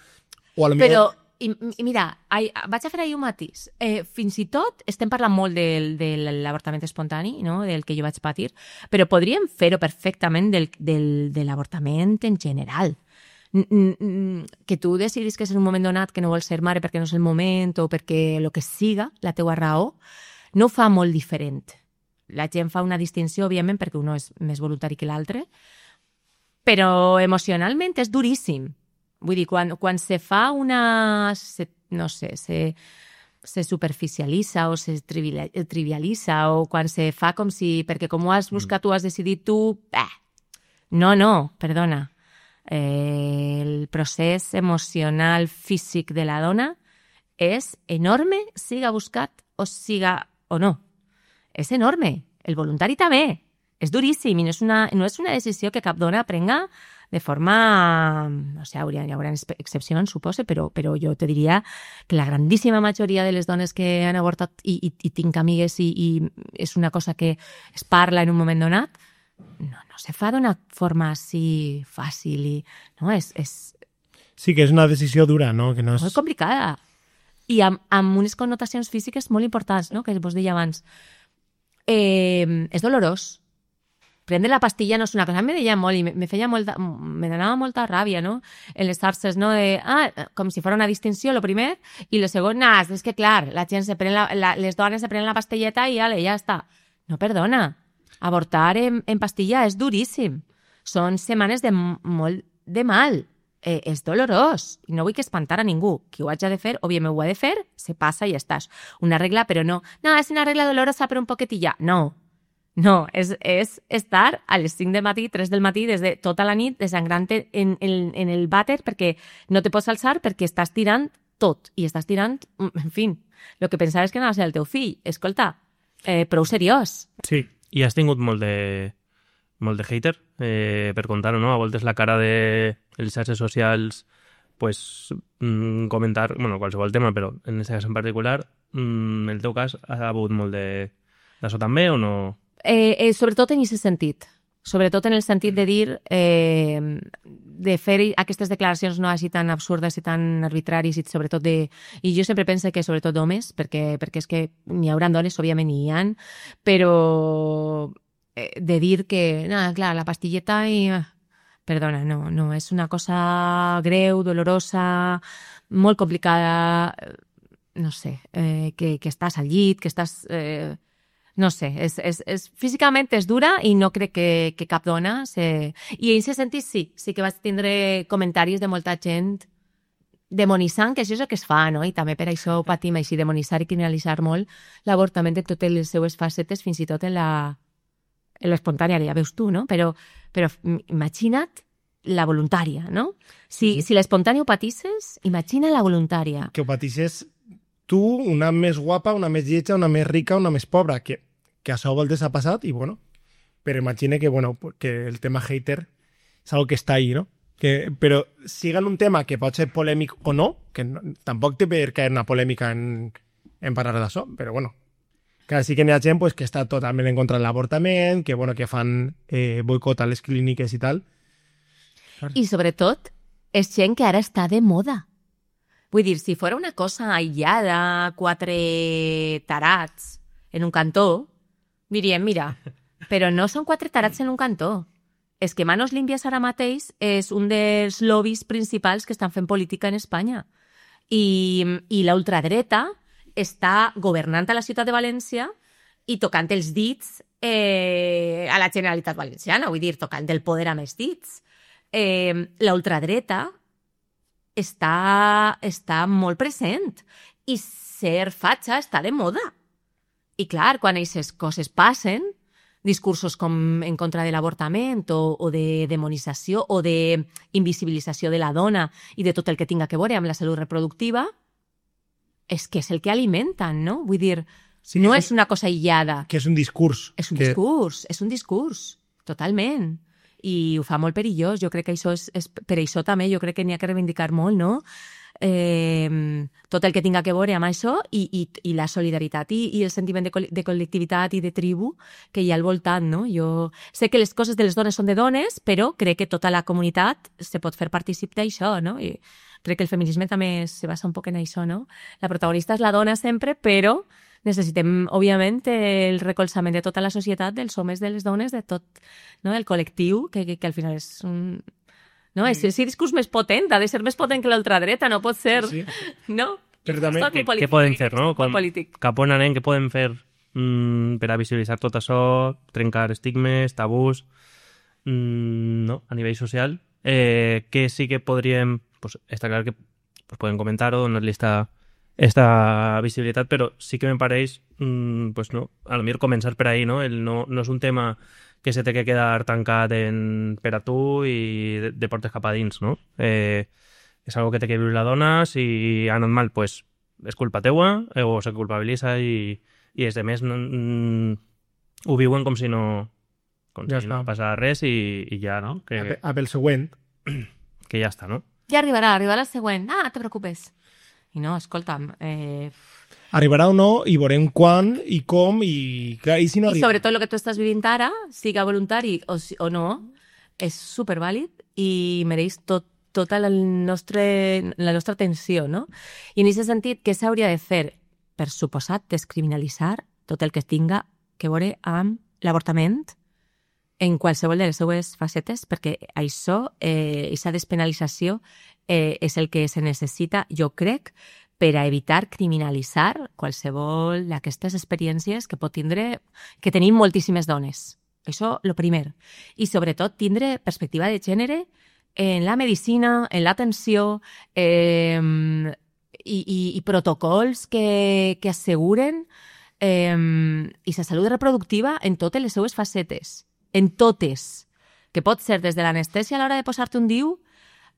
o a lo
Però,
millor...
i, i mira, ai, vaig a fer ahir un matís. Eh, fins i tot estem parlant molt del, de l'avortament espontani, no? Del que jo vaig patir, però podríem fer-ho perfectament del, del, de l'avortament en general. Que tu decidis que és en un moment donat que no vols ser mare perquè no és el moment o perquè el que siga, la teua raó, no ho fa molt diferent. La gent fa una distinció, òbviament, perquè un és més voluntari que l'altre, però emocionalment és duríssim. Vull dir, quan, quan se fa una... Se, no sé, se, se superficialitza o se trivialitza o quan se fa com si... Perquè com ho has buscat, tu has decidit tu... Eh, no, no, perdona. Eh, el procés emocional físic de la dona és enorme, siga buscat o siga o no. És enorme. El voluntari també. És duríssim i no és una, no és una decisió que cap dona prenga de forma... No sé, hi haurà excepcions, suposo, però, però jo te diria que la grandíssima majoria de les dones que han avortat i, i, i tinc amigues i, i és una cosa que es parla en un moment donat, no, no se fa d'una forma així fàcil i... No, és, és...
Sí, que és una decisió dura, no? Que no és...
Molt complicada. I amb, amb unes connotacions físiques molt importants, no? Que vos deia abans. Eh, és dolorós. Prendre la pastilla no és una cosa... Me deia molt i me feia molta... Me donava molta ràbia, no? En les xarxes, no? De, ah, com si fos una distinció, lo primer, i lo segon, nah, és que, clar, la gent se pren la, la, les dones se prenen la pastilleta i ale, ja està. No, perdona. Avortar en, en pastilla és duríssim. Són setmanes de molt de mal. Eh, és dolorós. I no vull que espantar a ningú. Qui ho haig de fer, òbviament ho ha de fer, se passa i ja estàs. Una regla, però no. No, és una regla dolorosa, però un poquetilla. No. No, és, és estar a les cinc del matí, tres del matí, des de tota la nit, desangrant-te en, en, en el vàter perquè no te pots alçar perquè estàs tirant tot. I estàs tirant, en fi, el que pensaves que anava a ser el teu fill. Escolta, eh, prou seriós.
Sí. I has tingut molt de, molt de hater, eh, per contar-ho, no? A voltes la cara de les xarxes socials, pues, mm, comentar, bueno, qualsevol tema, però en aquest cas en particular, mm, en el teu cas, ha hagut molt de d'això també o no?
Eh, eh, sobretot en aquest sentit. Sobretot en el sentit de dir, eh, de fer aquestes declaracions no així tan absurdes i tan arbitraris i sobretot de... I jo sempre penso que sobretot d'homes, perquè, perquè és que n'hi haurà dones, òbviament n'hi ha, però eh, de dir que, no, clar, la pastilleta i... Perdona, no, no, és una cosa greu, dolorosa, molt complicada, no sé, eh, que, que estàs al llit, que estàs... Eh, No sé, és, és, és, físicament és dura i no crec que, que cap dona... Se... I en aquest sentit sí, sí que vaig tindre comentaris de molta gent demonitzant, que això és el que es fa, no? I també per això patim així, demonitzar i criminalitzar molt l'avortament de totes les seues facetes, fins i tot en la en l'espontània, ja veus tu, no? Però, però imagina't la voluntària, no? Si, si l'espontània ho patisses, imagina la voluntària.
Que ho patisses tu, una més guapa, una més lletja, una més rica, una més pobra, que, que això a voltes ha passat i, bueno, però imagina que, bueno, que el tema hater és algo que està ahí, no? Que, però siga en un tema que pot ser polèmic o no, que no, tampoc té per què una polèmica en, en parlar d'això, però, bueno, que sí que n'hi ha gent pues, que està totalment en contra de l'avortament, que, bueno, que fan eh, boicot a les clíniques i tal.
I, sobretot, és gent que ara està de moda. Vull dir, si fos una cosa aïllada, quatre tarats en un cantó, diríem, mira, però no són quatre tarats en un cantó. És que Manos Limpias ara mateix és un dels lobbies principals que estan fent política en Espanya. I, i la ultradreta està governant a la ciutat de València i tocant els dits eh, a la Generalitat Valenciana, vull dir, tocant el poder amb els dits. Eh, la ultradreta està, està molt present i ser fatxa està de moda. I clar, quan aquestes coses passen, discursos com en contra de l'avortament o, o de demonització o d'invisibilització de la dona i de tot el que tinga que veure amb la salut reproductiva, és que és el que alimenten, no? Vull dir, sí, no és, és una cosa aïllada.
Que és un discurs.
És un
que...
discurs, és un discurs, totalment. I ho fa molt perillós. Jo crec que això és, és per això també, jo crec que n'hi ha que reivindicar molt, no? eh, tot el que tinga que veure amb això i, i, i la solidaritat i, i el sentiment de, col de col·lectivitat i de tribu que hi ha al voltant, no? Jo sé que les coses de les dones són de dones, però crec que tota la comunitat se pot fer partícip d'això, no? I crec que el feminisme també se basa un poc en això, no? La protagonista és la dona sempre, però necessitem, òbviament, el recolzament de tota la societat, dels homes, de les dones, de tot, no? El col·lectiu, que, que, que al final és un... No, és el discurs més potent, ha de ser més potent que l'ultradreta, no pot ser, sí, sí. No?
Però també...
Què, què poden fer, no? Com, cap on anem, què poden fer mm, per a visibilitzar tot això, trencar estigmes, tabús, mm, no? A nivell social, eh, que sí que podríem... Pues, està clar que pues, podem comentar-ho, donar-li esta, esta visibilitat, però sí que me pareix, mm, pues no, a lo millor començar per ahí, no? El no, no és un tema que se té que quedar tancat en, per a tu i de, de portes cap a dins, no? Eh, és algo que té que viure la dona, si ha anat mal, pues, és culpa teua, eh, o se culpabilitza i, i els demés no, mm, ho viuen com si no, com ja si no passava res i, i ja, no? Que,
a, a pel següent.
Que ja està, no?
Ja arribarà, arribarà el següent. Ah, te preocupes. I no, escolta'm... Eh...
Arribarà o no, i veurem quan i com, i, clar, i si no
I
arriba.
sobretot el que tu estàs vivint ara, siga voluntari o, o no, és supervàlid i mereix tot, tota la, nostre, la nostra atenció, no? I en aquest sentit, què s'hauria de fer? Per suposat, descriminalitzar tot el que tinga que veure amb l'avortament en qualsevol de les seues facetes, perquè això, eh, aquesta despenalització, eh, és el que se necessita, jo crec, per a evitar criminalitzar qualsevol d'aquestes experiències que pot tindre, que tenim moltíssimes dones. Això, lo primer. I sobretot tindre perspectiva de gènere en la medicina, en l'atenció, eh, i, i, i protocols que, que asseguren eh, i la salut reproductiva en totes les seues facetes. En totes. Que pot ser des de l'anestèsia a l'hora de posar-te un diu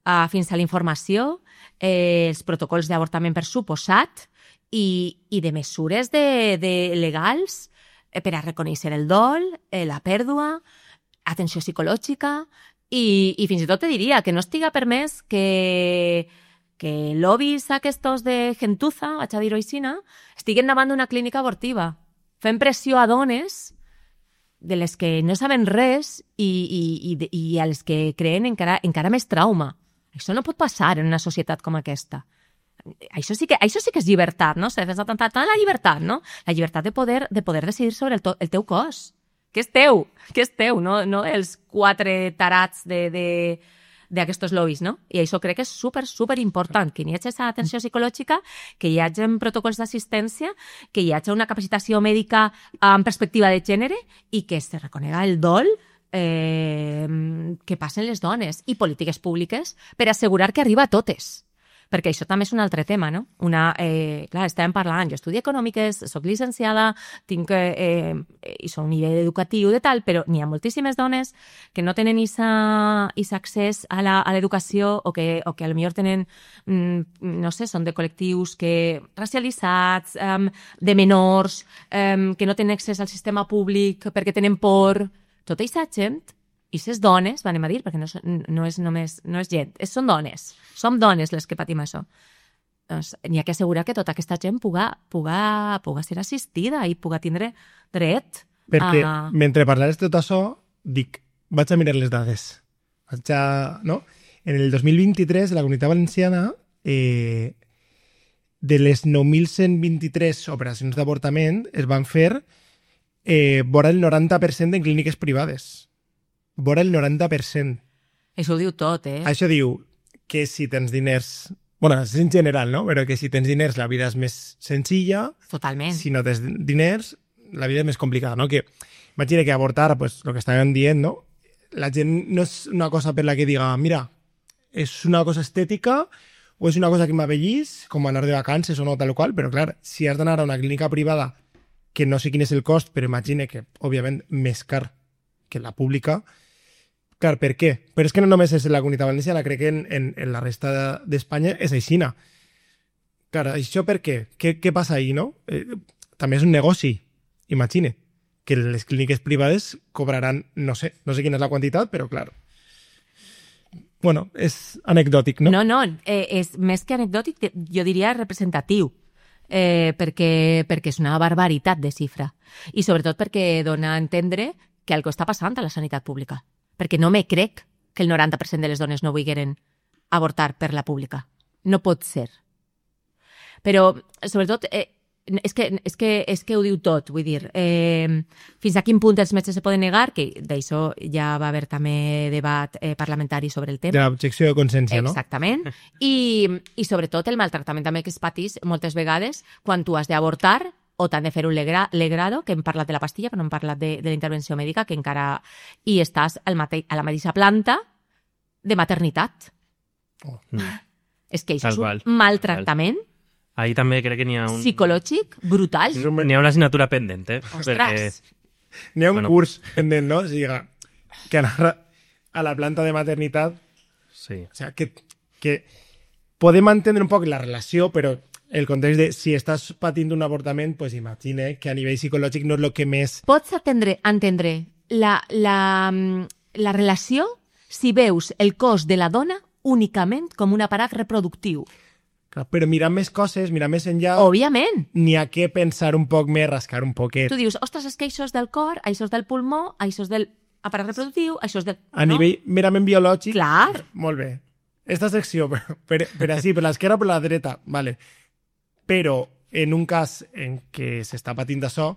Uh, fins a la informació, eh, els protocols d'avortament per suposat i, i de mesures de, de legals eh, per a reconèixer el dol, eh, la pèrdua, atenció psicològica i, i fins i tot te diria que no estiga permès que, que lobbies aquests de gentuza, vaig a dir-ho així, estiguen davant d'una clínica abortiva, fent pressió a dones de les que no saben res i, i, i, i a les que creen encara, encara més trauma. Això no pot passar en una societat com aquesta. Això sí que, això sí que és llibertat, no? S'ha defensat tant, tant la llibertat, no? La llibertat de poder, de poder decidir sobre el, to, el teu cos. Que és teu, que és teu, no, no els quatre tarats de, de, d'aquestos lobbies, no? I això crec que és super, super important, que hi hagi aquesta atenció psicològica, que hi hagi protocols d'assistència, que hi hagi una capacitació mèdica amb perspectiva de gènere i que se reconega el dol Eh, que passen les dones i polítiques públiques per assegurar que arriba a totes. Perquè això també és un altre tema, no? Una, eh, clar, estàvem parlant, jo estudio econòmiques, soc llicenciada, tinc eh, i soc un nivell educatiu de tal, però n'hi ha moltíssimes dones que no tenen aquest accés a l'educació o que, o que potser tenen, mm, no sé, són de col·lectius que racialitzats, um, de menors, um, que no tenen accés al sistema públic perquè tenen por. Tota aquesta gent, i ses dones, anem a dir, perquè no, no és només no és gent, és, són dones, som dones les que patim això. Doncs n'hi ha que assegurar que tota aquesta gent puga, puga, puga ser assistida i puga tindre dret
perquè
a...
mentre parlaves de tot això, dic, vaig a mirar les dades. Vaig a... No? En el dos mil vint-i-tres, la Comunitat Valenciana, eh, de les nou mil cent vint-i-tres operacions d'avortament, es van fer Eh, vora el noranta per cent en clíniques privades. Vora el noranta per cent.
Això ho diu tot, eh?
Això diu que si tens diners... Bueno, és en general, no? Però que si tens diners la vida és més senzilla.
Totalment.
Si no tens diners, la vida és més complicada, no? Que imagina que avortar, pues, el que estàvem dient, no? La gent no és una cosa per la que diga, mira, és una cosa estètica o és una cosa que m'avellís, com anar de vacances o no, tal qual, però clar, si has d'anar a una clínica privada que no sé quin és el cost, però imagine que, òbviament, més car que la pública. Clar, per què? Però és que no només és la Comunitat Valenciana, crec que en, en, en la resta d'Espanya és aixina. Clar, això per què? Què, què passa ahí, no? Eh, també és un negoci, imagine, que les clíniques privades cobraran, no sé, no sé quina és la quantitat, però clar. bueno, és anecdòtic, no?
No, no, eh, és més que anecdòtic, jo diria representatiu, eh, perquè, perquè és una barbaritat de xifra. I sobretot perquè dona a entendre que algo està passant a la sanitat pública. Perquè no me crec que el noranta per cent de les dones no vulgueren avortar per la pública. No pot ser. Però, sobretot, eh, és, que, és, que, és que ho diu tot, vull dir, eh, fins a quin punt els metges se poden negar, que d'això ja va haver també debat eh, parlamentari sobre el tema.
De l'objecció de consciència, no?
Exactament. I, I sobretot el maltractament també que es patís moltes vegades quan tu has d'avortar o t'han de fer un legra, legrado, que hem parlat de la pastilla, però no hem parlat de, de la intervenció mèdica, que encara... I estàs al mate, a la mateixa planta de maternitat.
Oh.
Mm.
És que això
Tal
és un
qual.
maltractament
Ahí també crec que n'hi ha un...
psicològic brutal.
N'hi ha una assignatura pendent, eh?
Ostres!
N'hi ha un
Bueno.
curs pendent, no? O sigui, que anar a la planta de maternitat...
Sí.
O sea, que, que podem entendre un poc la relació, però el context de si estàs patint un avortament, pues imagina que a nivell psicològic no és el que més...
Pots atendre, entendre la, la, la relació si veus el cos de la dona únicament com un aparat reproductiu.
Clar, però mirar més coses, mirar més enllà,
Òbviament.
n'hi ha que pensar un poc més, rascar un poquet.
Tu dius, ostres, és que això és del cor, això és del pulmó, això és del aparat reproductiu, això és del...
A nivell merament biològic,
Clar.
molt bé. Esta secció, per, per, per així, per l'esquerra o per la dreta, vale. Però en un cas en què s'està patint d'això,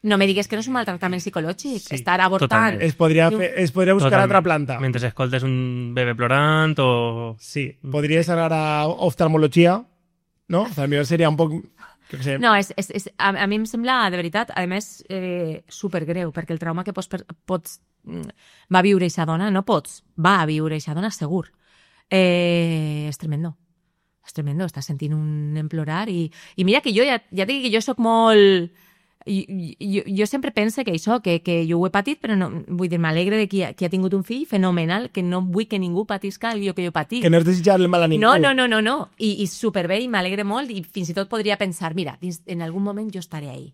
No me digues que no és un maltractament psicològic.
Sí,
Estar avortant.
totalment.
es podria, fer, es podria buscar
Totalment.
altra planta.
Mentre escoltes un bebè plorant o...
Sí, podries anar a oftalmologia, no? També seria un poc... Jo què sé.
No, és, és, és, a, a mi em sembla, de veritat, a més, eh, supergreu, perquè el trauma que pots, pots mm, va viure aquesta dona, no pots, va viure aquesta dona segur. Eh, és tremendo. És tremendo, estàs sentint un emplorar i, i mira que jo ja, ja dic que jo sóc molt... Jo, jo sempre pense que això, que, que jo ho he patit, però no, vull dir, m'alegre de qui ha, qui ha tingut un fill fenomenal, que no vull que ningú patisca el que jo patit.
Que no és desitjar el mal a ningú.
No, no, no, no, no. I, i superbé, i m'alegre molt, i fins i tot podria pensar, mira, dins, en algun moment jo estaré ahí.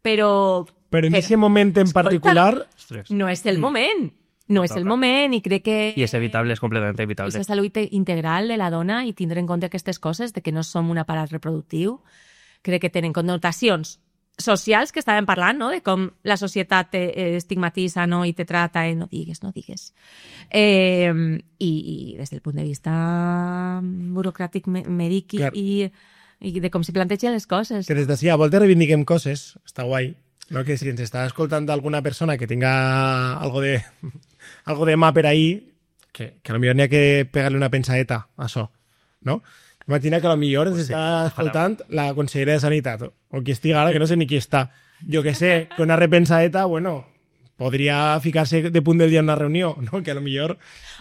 Però...
Però en
però-
aquest moment en
Escolta.
particular,
Ostres.
No és el moment. No és el
Toca.
moment i crec que...
I és evitable, és completament evitable.
Aquesta salut integral de la dona i tindre en compte aquestes coses, de que no som un aparat reproductiu, crec que tenen connotacions socials que estàvem parlant, no? De com la societat te eh, estigmatitza, no? I te trata, eh? No digues, no digues. Eh, i, I des del punt de vista burocràtic, me- mèdic i,
Clar.
i, i de com se plantegen les coses.
que des d'ací a voltes reivindiquem coses, està guai, no? Que si ens està escoltant alguna persona que tenga algo de, algo de mà per ahí, que, que a lo millor n'hi ha que pegar-li una pensadeta a això, no? Imagina que a lo millor ens
sí,
està escoltant la consellera de Sanitat, o qui estigui ara, que no sé ni qui està. Jo que sé, que una repensadeta, bueno, podria ficar-se de punt del dia en una reunió, no? Que a lo millor...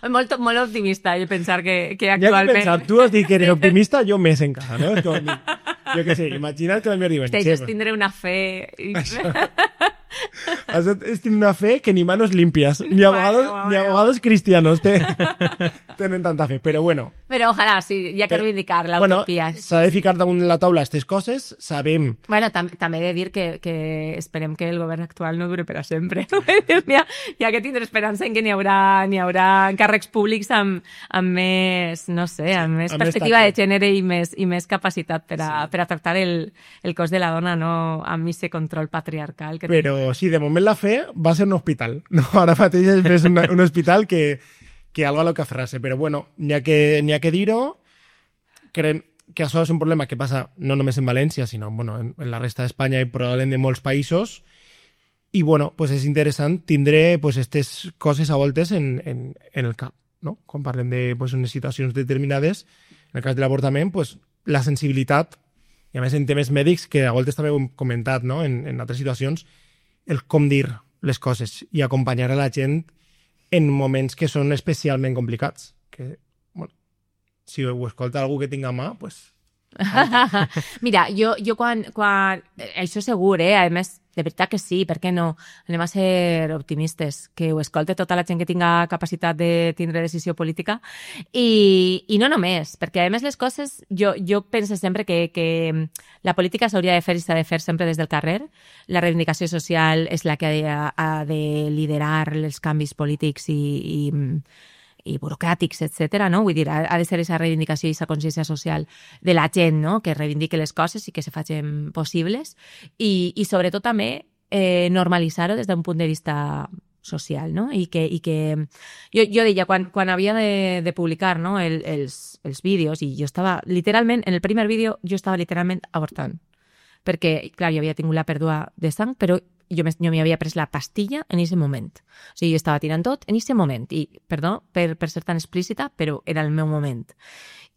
Molt, molt optimista el pensar que, que
Ja que
actualment...
pensar, tu has dit que eres optimista, jo més encara, no? És com, jo que sé, imagina't que a lo millor diuen...
Hòstia,
"Che,
això és tindre una fe...
Has de- es tiene una fe que ni manos limpias, ni abogados,
Bueno,
ni
bueno.
abogados cristianos te, tienen tanta fe. Pero bueno,
Però ojalà, sí, hi ha que
Però,
reivindicar la
bueno
utopia.
s'ha de ficar damunt la taula aquestes coses, sabem...
Bueno, tam també he de dir que, que esperem que el govern actual no dure per a sempre. hi, ha, hi ha que tindre esperança en que n'hi haurà, n'hi haurà càrrecs públics amb, amb més, no sé, amb més
amb més
perspectiva de
tacte.
gènere i més, i més capacitat per a, per a tractar el, el cos de la dona, no amb aquest control patriarcal. Que
Però sí, de moment la fe va ser un hospital. No, ara mateix és més un, un hospital que, que algo a lo que aferrar-se. Però bueno, n'hi ha que, n'hi ha que dir-ho. Creiem que això és un problema que passa no només en València, sinó bueno, en, en la resta d'Espanya i probablement de molts països. I bueno, pues és interessant tindre pues, aquestes coses a voltes en, en, en el cap. No? Quan parlem de pues, unes situacions determinades, en el cas de l'avortament, pues, la sensibilitat, i a més en temes mèdics, que a voltes també ho hem comentat no? en, en altres situacions, el com dir les coses i acompanyar a la gent en moments que són especialment complicats. Que, bueno, si ho escolta algú que tinga mà, pues...
Mira, jo, jo quan, quan... Això segur, eh? A més, de veritat que sí, per què no? Anem a ser optimistes, que ho escolte tota la gent que tinga capacitat de tindre decisió política. I, i no només, perquè a més les coses... Jo, jo penso sempre que, que la política s'hauria de fer i s'ha de fer sempre des del carrer. La reivindicació social és la que ha de, ha de liderar els canvis polítics i, i, i burocràtics, etcètera, no? Vull dir, ha, ha de ser aquesta reivindicació i aquesta consciència social de la gent, no? Que reivindique les coses i que se facin possibles i, i sobretot també eh, normalitzar-ho des d'un punt de vista social, no? I que, i que jo, jo deia, quan, quan havia de, de publicar, no? El, els, els vídeos, i jo estava literalment, en el primer vídeo, jo estava literalment avortant. Perquè, clar, jo havia tingut la pèrdua de sang, però jo m'hi havia pres la pastilla en aquest moment. O sigui, jo estava tirant tot en aquest moment. I, perdó per, per ser tan explícita, però era el meu moment.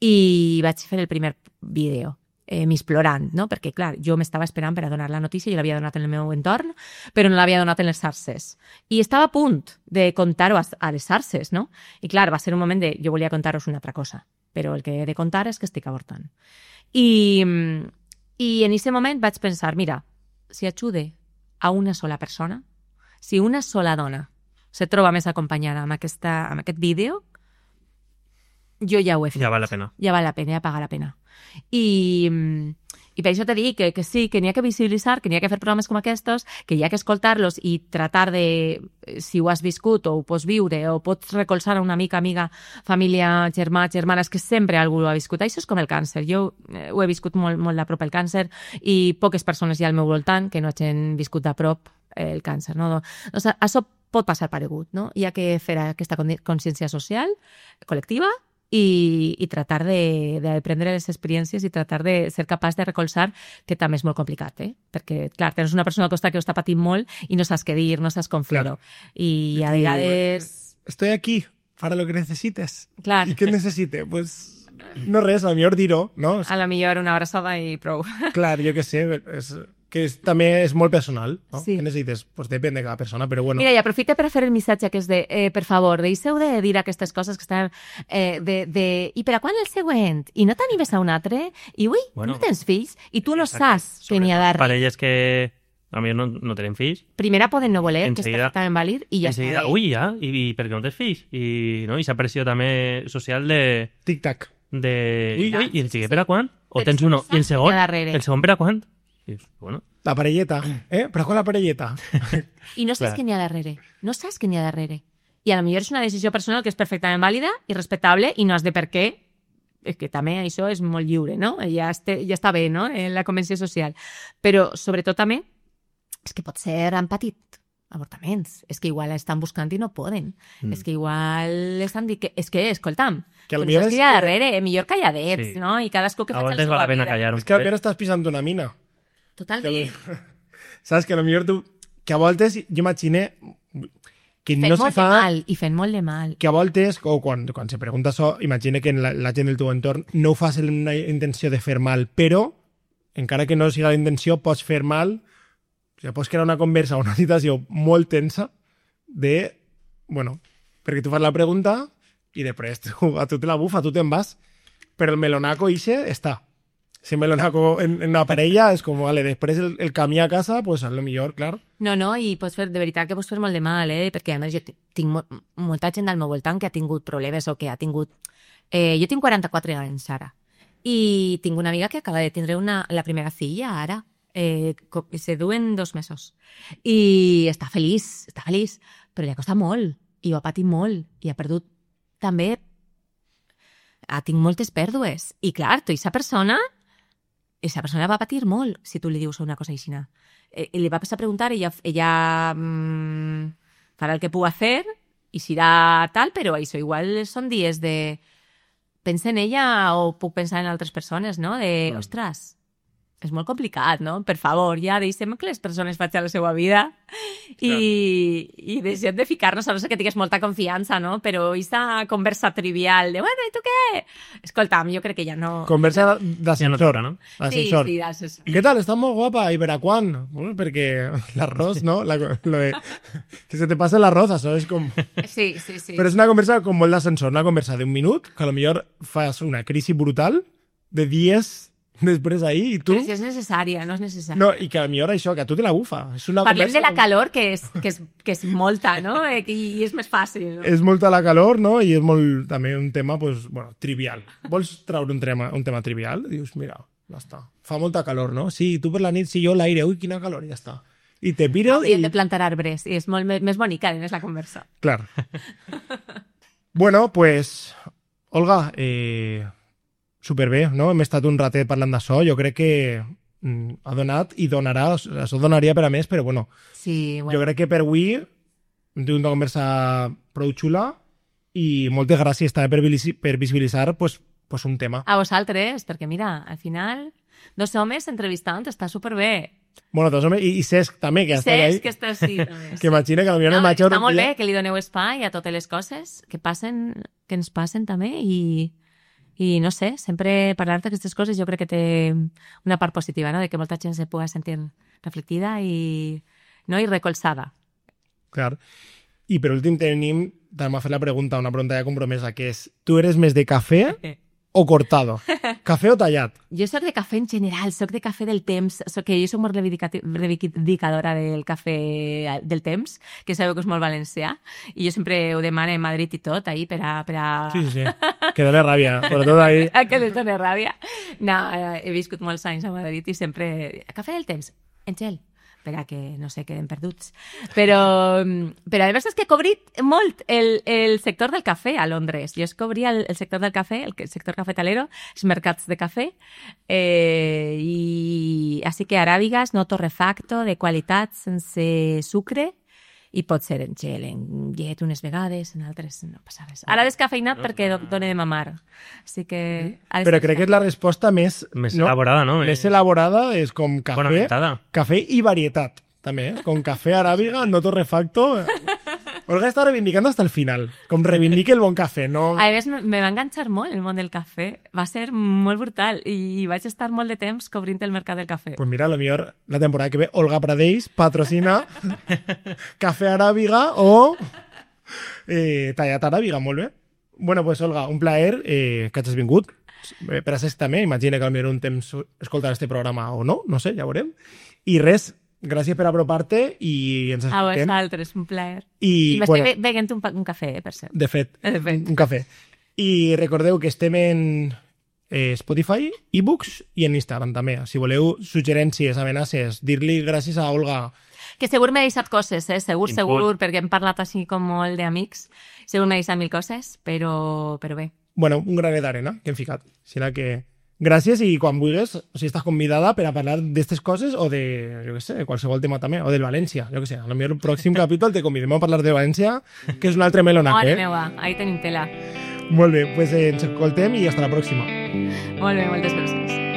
I vaig fer el primer vídeo. Eh, m'explorant, no? Perquè, clar, jo m'estava esperant per a donar la notícia, jo l'havia donat en el meu entorn, però no l'havia donat en les xarxes. I estava a punt de contar-ho a, a les xarxes, no? I, clar, va ser un moment de... Jo volia contar-vos una altra cosa, però el que he de contar és que estic avortant. I, i en aquest moment vaig pensar, mira, si ajude a una sola persona, si una sola dona se troba més acompanyada amb, aquesta, amb aquest vídeo, jo ja ho he fet.
Ja val la pena.
Ja val la pena, ja paga la pena. I, i per això te dic que, que sí, que n'hi ha que visibilitzar, que n'hi ha que fer programes com aquests, que hi ha que escoltar-los i tratar de, si ho has viscut o ho pots viure o pots recolzar a una mica, amiga, família, germà, germana, és que sempre algú ho ha viscut. Això és com el càncer. Jo eh, ho he viscut molt, molt de prop el càncer i poques persones hi ha al meu voltant que no hagin viscut de prop el càncer. No? Doncs això pot passar paregut. No? Hi ha que fer aquesta consciència social, col·lectiva, i, i tratar de, de prendre les experiències i tratar de ser capaç de recolzar, que també és molt complicat, eh? Perquè, clar, tens una persona al costat que ho està patint molt i no saps què dir, no saps com fer-ho. I a vegades...
Estoy aquí para lo que necesites.
Clar.
¿Y qué necesite? Pues no res, a lo millor dir-ho, no?
A lo millor una abraçada i prou.
Clar, jo què sé, és... que és, també és molt personal, no?
Sí.
Què necessites? Pues depèn de cada persona, però bueno.
Mira, i aprofita per fer el missatge que és de, eh, per favor, deixeu de dir aquestes coses que estan... Eh, de, de, I per a quan el següent? I no t'animes a un altre? I ui, bueno, no tens fills? I tu no saps que n'hi ha darrere.
Parelles que a mi no, no tenen fills.
Primera poden no voler,
Enseguida,
que és perfectament vàlid, i ja
enseguida,
està.
Ui, ja, i, i per què no tens fills? I, no? I s'ha pressió també social de...
Tic-tac.
De...
I
Ui, ui, i el siguiente per a quan? O
Però
tens uno, i el segon?
darrere.
El segon per a quan? I, bueno...
La parelleta, eh? Però con la parelleta.
I no saps
Clar.
què n'hi ha darrere. No saps què n'hi ha darrere. I a lo millor és una decisió personal que és perfectament vàlida i respectable i no has de per què. És que també això és molt lliure, no? Ja, este, ja està bé, no? En la convenció social. Però, sobretot, també, és que pot ser han patit avortaments. És que igual estan buscant i no poden. Mm. És que igual estan dient que... És que, escolta'm,
que
no
millor
saps
és
què hi ha
que...
darrere, eh? Millor calladets,
Sí.
no? I cadascú que
A
faci la
voltes
seva
val la pena
vida.
callar un
És que al
poquet.
millor estàs pisant una mina.
Totalment.
Que, saps que a lo millor tu... Que a voltes, jo imagine que
Fent
no se
molt
fa...
de mal, i fent molt de mal.
Que a voltes, o quan, quan se pregunta això, imagina que la, la gent del teu entorn no ho fas amb una intenció de fer mal, però, encara que no siga la intenció, pots fer mal, o sigui, pots crear una conversa o una situació molt tensa de, bueno, perquè tu fas la pregunta i després tu, a tu te la bufa, tu te'n vas, però el melonaco ixe està. Si melonaco en, en una parella és com, vale, després el, el camí a casa, pues a lo millor, clar.
No, no, i pots fer, de veritat que pots fer molt de mal, eh? Perquè a més jo t- tinc mo molta gent al meu voltant que ha tingut problemes o que ha tingut... Eh, jo tinc quaranta-quatre anys ara i tinc una amiga que acaba de tindre una, la primera filla ara, eh, co- se du en dos mesos i està feliç, està feliç, però li ha costat molt i ho ha patit molt i ha perdut també... Ha tingut moltes pèrdues i clar, tu i esa persona... Esa persona va patir molt si tu li dius una cosa així. Eh, li va passar a preguntar, ella, ella mmm, farà el que pugui fer i serà tal, però això igual són dies de... Pensa en ella o puc pensar en altres persones, no? De,
Mm.
ostres, és molt complicat, no? Per favor, ja deixem que les persones facin la seva vida i, i deixem de ficar-nos, a no ser que tingués molta confiança, no? Però aquesta conversa trivial de, bueno, i tu què? Escolta'm, jo crec que ja no...
Conversa
Ja no
d'ascensor.
toca, no?
Sí,
Ascensor.
sí, d'assessor.
¿Qué tal? Estás muy guapa. ¿Y para cuándo? Bueno, porque el arroz, ¿no? La, lo de, que se te pase el arroz, això és com...
Sí, sí, sí.
Però és una conversa com molt d'ascensor, una conversa d'un minut, que a lo millor fas una crisi brutal de dies després ahí i tu...
Però si és necessària, no és necessària.
No, i que a lo millor això, que a tu te la bufa. És una
Parlem
conversa
de la
com-
calor, que és, que és, que és molta, no? Eh, I, i és més fàcil, no?
És molta la calor, no? I és molt, també un tema, pues, bueno, trivial. Vols treure un tema, un tema trivial? Dius, mira, ja està. Fa molta calor, no? Sí, tu per la nit, sí, jo l'aire, ui, quina calor, ja està. I te piro
I
i...
hem de plantar arbres, i és molt me- més bonica, és la conversa.
Clar. Bueno, pues, Olga, eh, superbé, no? Hem estat un ratet parlant d'això. Jo crec que mm, ha donat i donarà, això donaria per a més, però bueno,
Sí, bueno.
jo crec que per avui hem tingut una conversa prou xula i moltes gràcies també per, visi- per visibilitzar pues, pues un tema.
A vosaltres, perquè mira, al final, dos homes entrevistant està superbé.
Bueno, doncs, home, i, i Cesc també, que està
Saps
ahí.
que està així, també.
Que imagina que potser
No,
el major...
està molt bé que li doneu espai a totes les coses que passen, que ens passen també i, i no sé, sempre parlar d'aquestes coses jo crec que té una part positiva, no? De que molta gent se pugui sentir reflectida i, no? I recolzada.
Clar. I per últim tenim, també m'ha fet la pregunta, una pregunta ja compromesa, que és, tu eres més de cafè o cortado? Cafè o tallat?
Jo soc de cafè en general, soc de cafè del temps, soc que jo soc molt reivindicati- reivindicadora del cafè del temps, que sabeu que és molt valencià, i jo sempre ho demano a Madrid i tot, ahí, per a... Per a...
Sí, sí, sí. Que dóna ràbia, sobretot ahí.
A que les dona ràbia. No, eh, he viscut molts anys a Madrid i sempre... Cafè del temps, en gel, per a que no sé, queden perduts. Però, però la veritat és que he cobrit molt el, el sector del cafè a Londres. Jo es cobria el, el sector del cafè, el, el sector cafetalero, els mercats de cafè, eh, i així que aràbigues, no torrefacto, de qualitat, sense sucre, i pot ser en gel, en llet unes vegades, en altres no passa res. Ara descafeinat perquè do- dona de mamar. Així que... ha de
Però
ser-
crec que és la resposta més...
Més elaborada, no?
Més
Eh,
elaborada, és com cafè,
Fonamentada.
cafè i varietat, també, eh? Com cafè aràbiga, no torrefacto... Olga està reivindicant hasta el final, com reivindique el bon cafè, no...
A més, me va enganxar molt el món del cafè. Va ser molt brutal i vaig estar molt de temps cobrint el mercat del cafè.
Pues mira, a lo millor la temporada que ve Olga Pradeix patrocina cafè aràbiga o eh, tallat aràbiga, molt bé. Bueno, pues Olga, un plaer eh, que hagis vingut. Eh, per a Cesc també, imagina que potser un temps escoltarà este programa o no, no sé, ja veurem. I res, gràcies per apropar-te i ens
A
escoltem.
vosaltres, un plaer.
I,
I m'estic
bueno,
be- beguent un, pa- un cafè, eh, per cert.
de fet,
De fet.
un cafè. I recordeu que estem en eh, Spotify, e-books i en Instagram també. Si voleu suggerències, amenaces, dir-li gràcies a Olga.
Que segur m'he deixat coses, eh? Segur,
Input.
segur, perquè hem parlat així com molt d'amics. Segur m'he deixat mil coses, però, però bé.
Bueno, un granet d'arena que hem ficat. Serà que... Gràcies i quan vulguis, o sigui, estàs convidada per a parlar d'aquestes coses o de, jo què sé, qualsevol tema també, o del València, jo què sé. A lo millor el pròxim capítol te convidem a parlar de València, que és un altre melonac,
Mare
eh?
meua, ahí tenim tela.
Molt bé, doncs eh, ens escoltem i fins la pròxima.
Molt bé, moltes gràcies.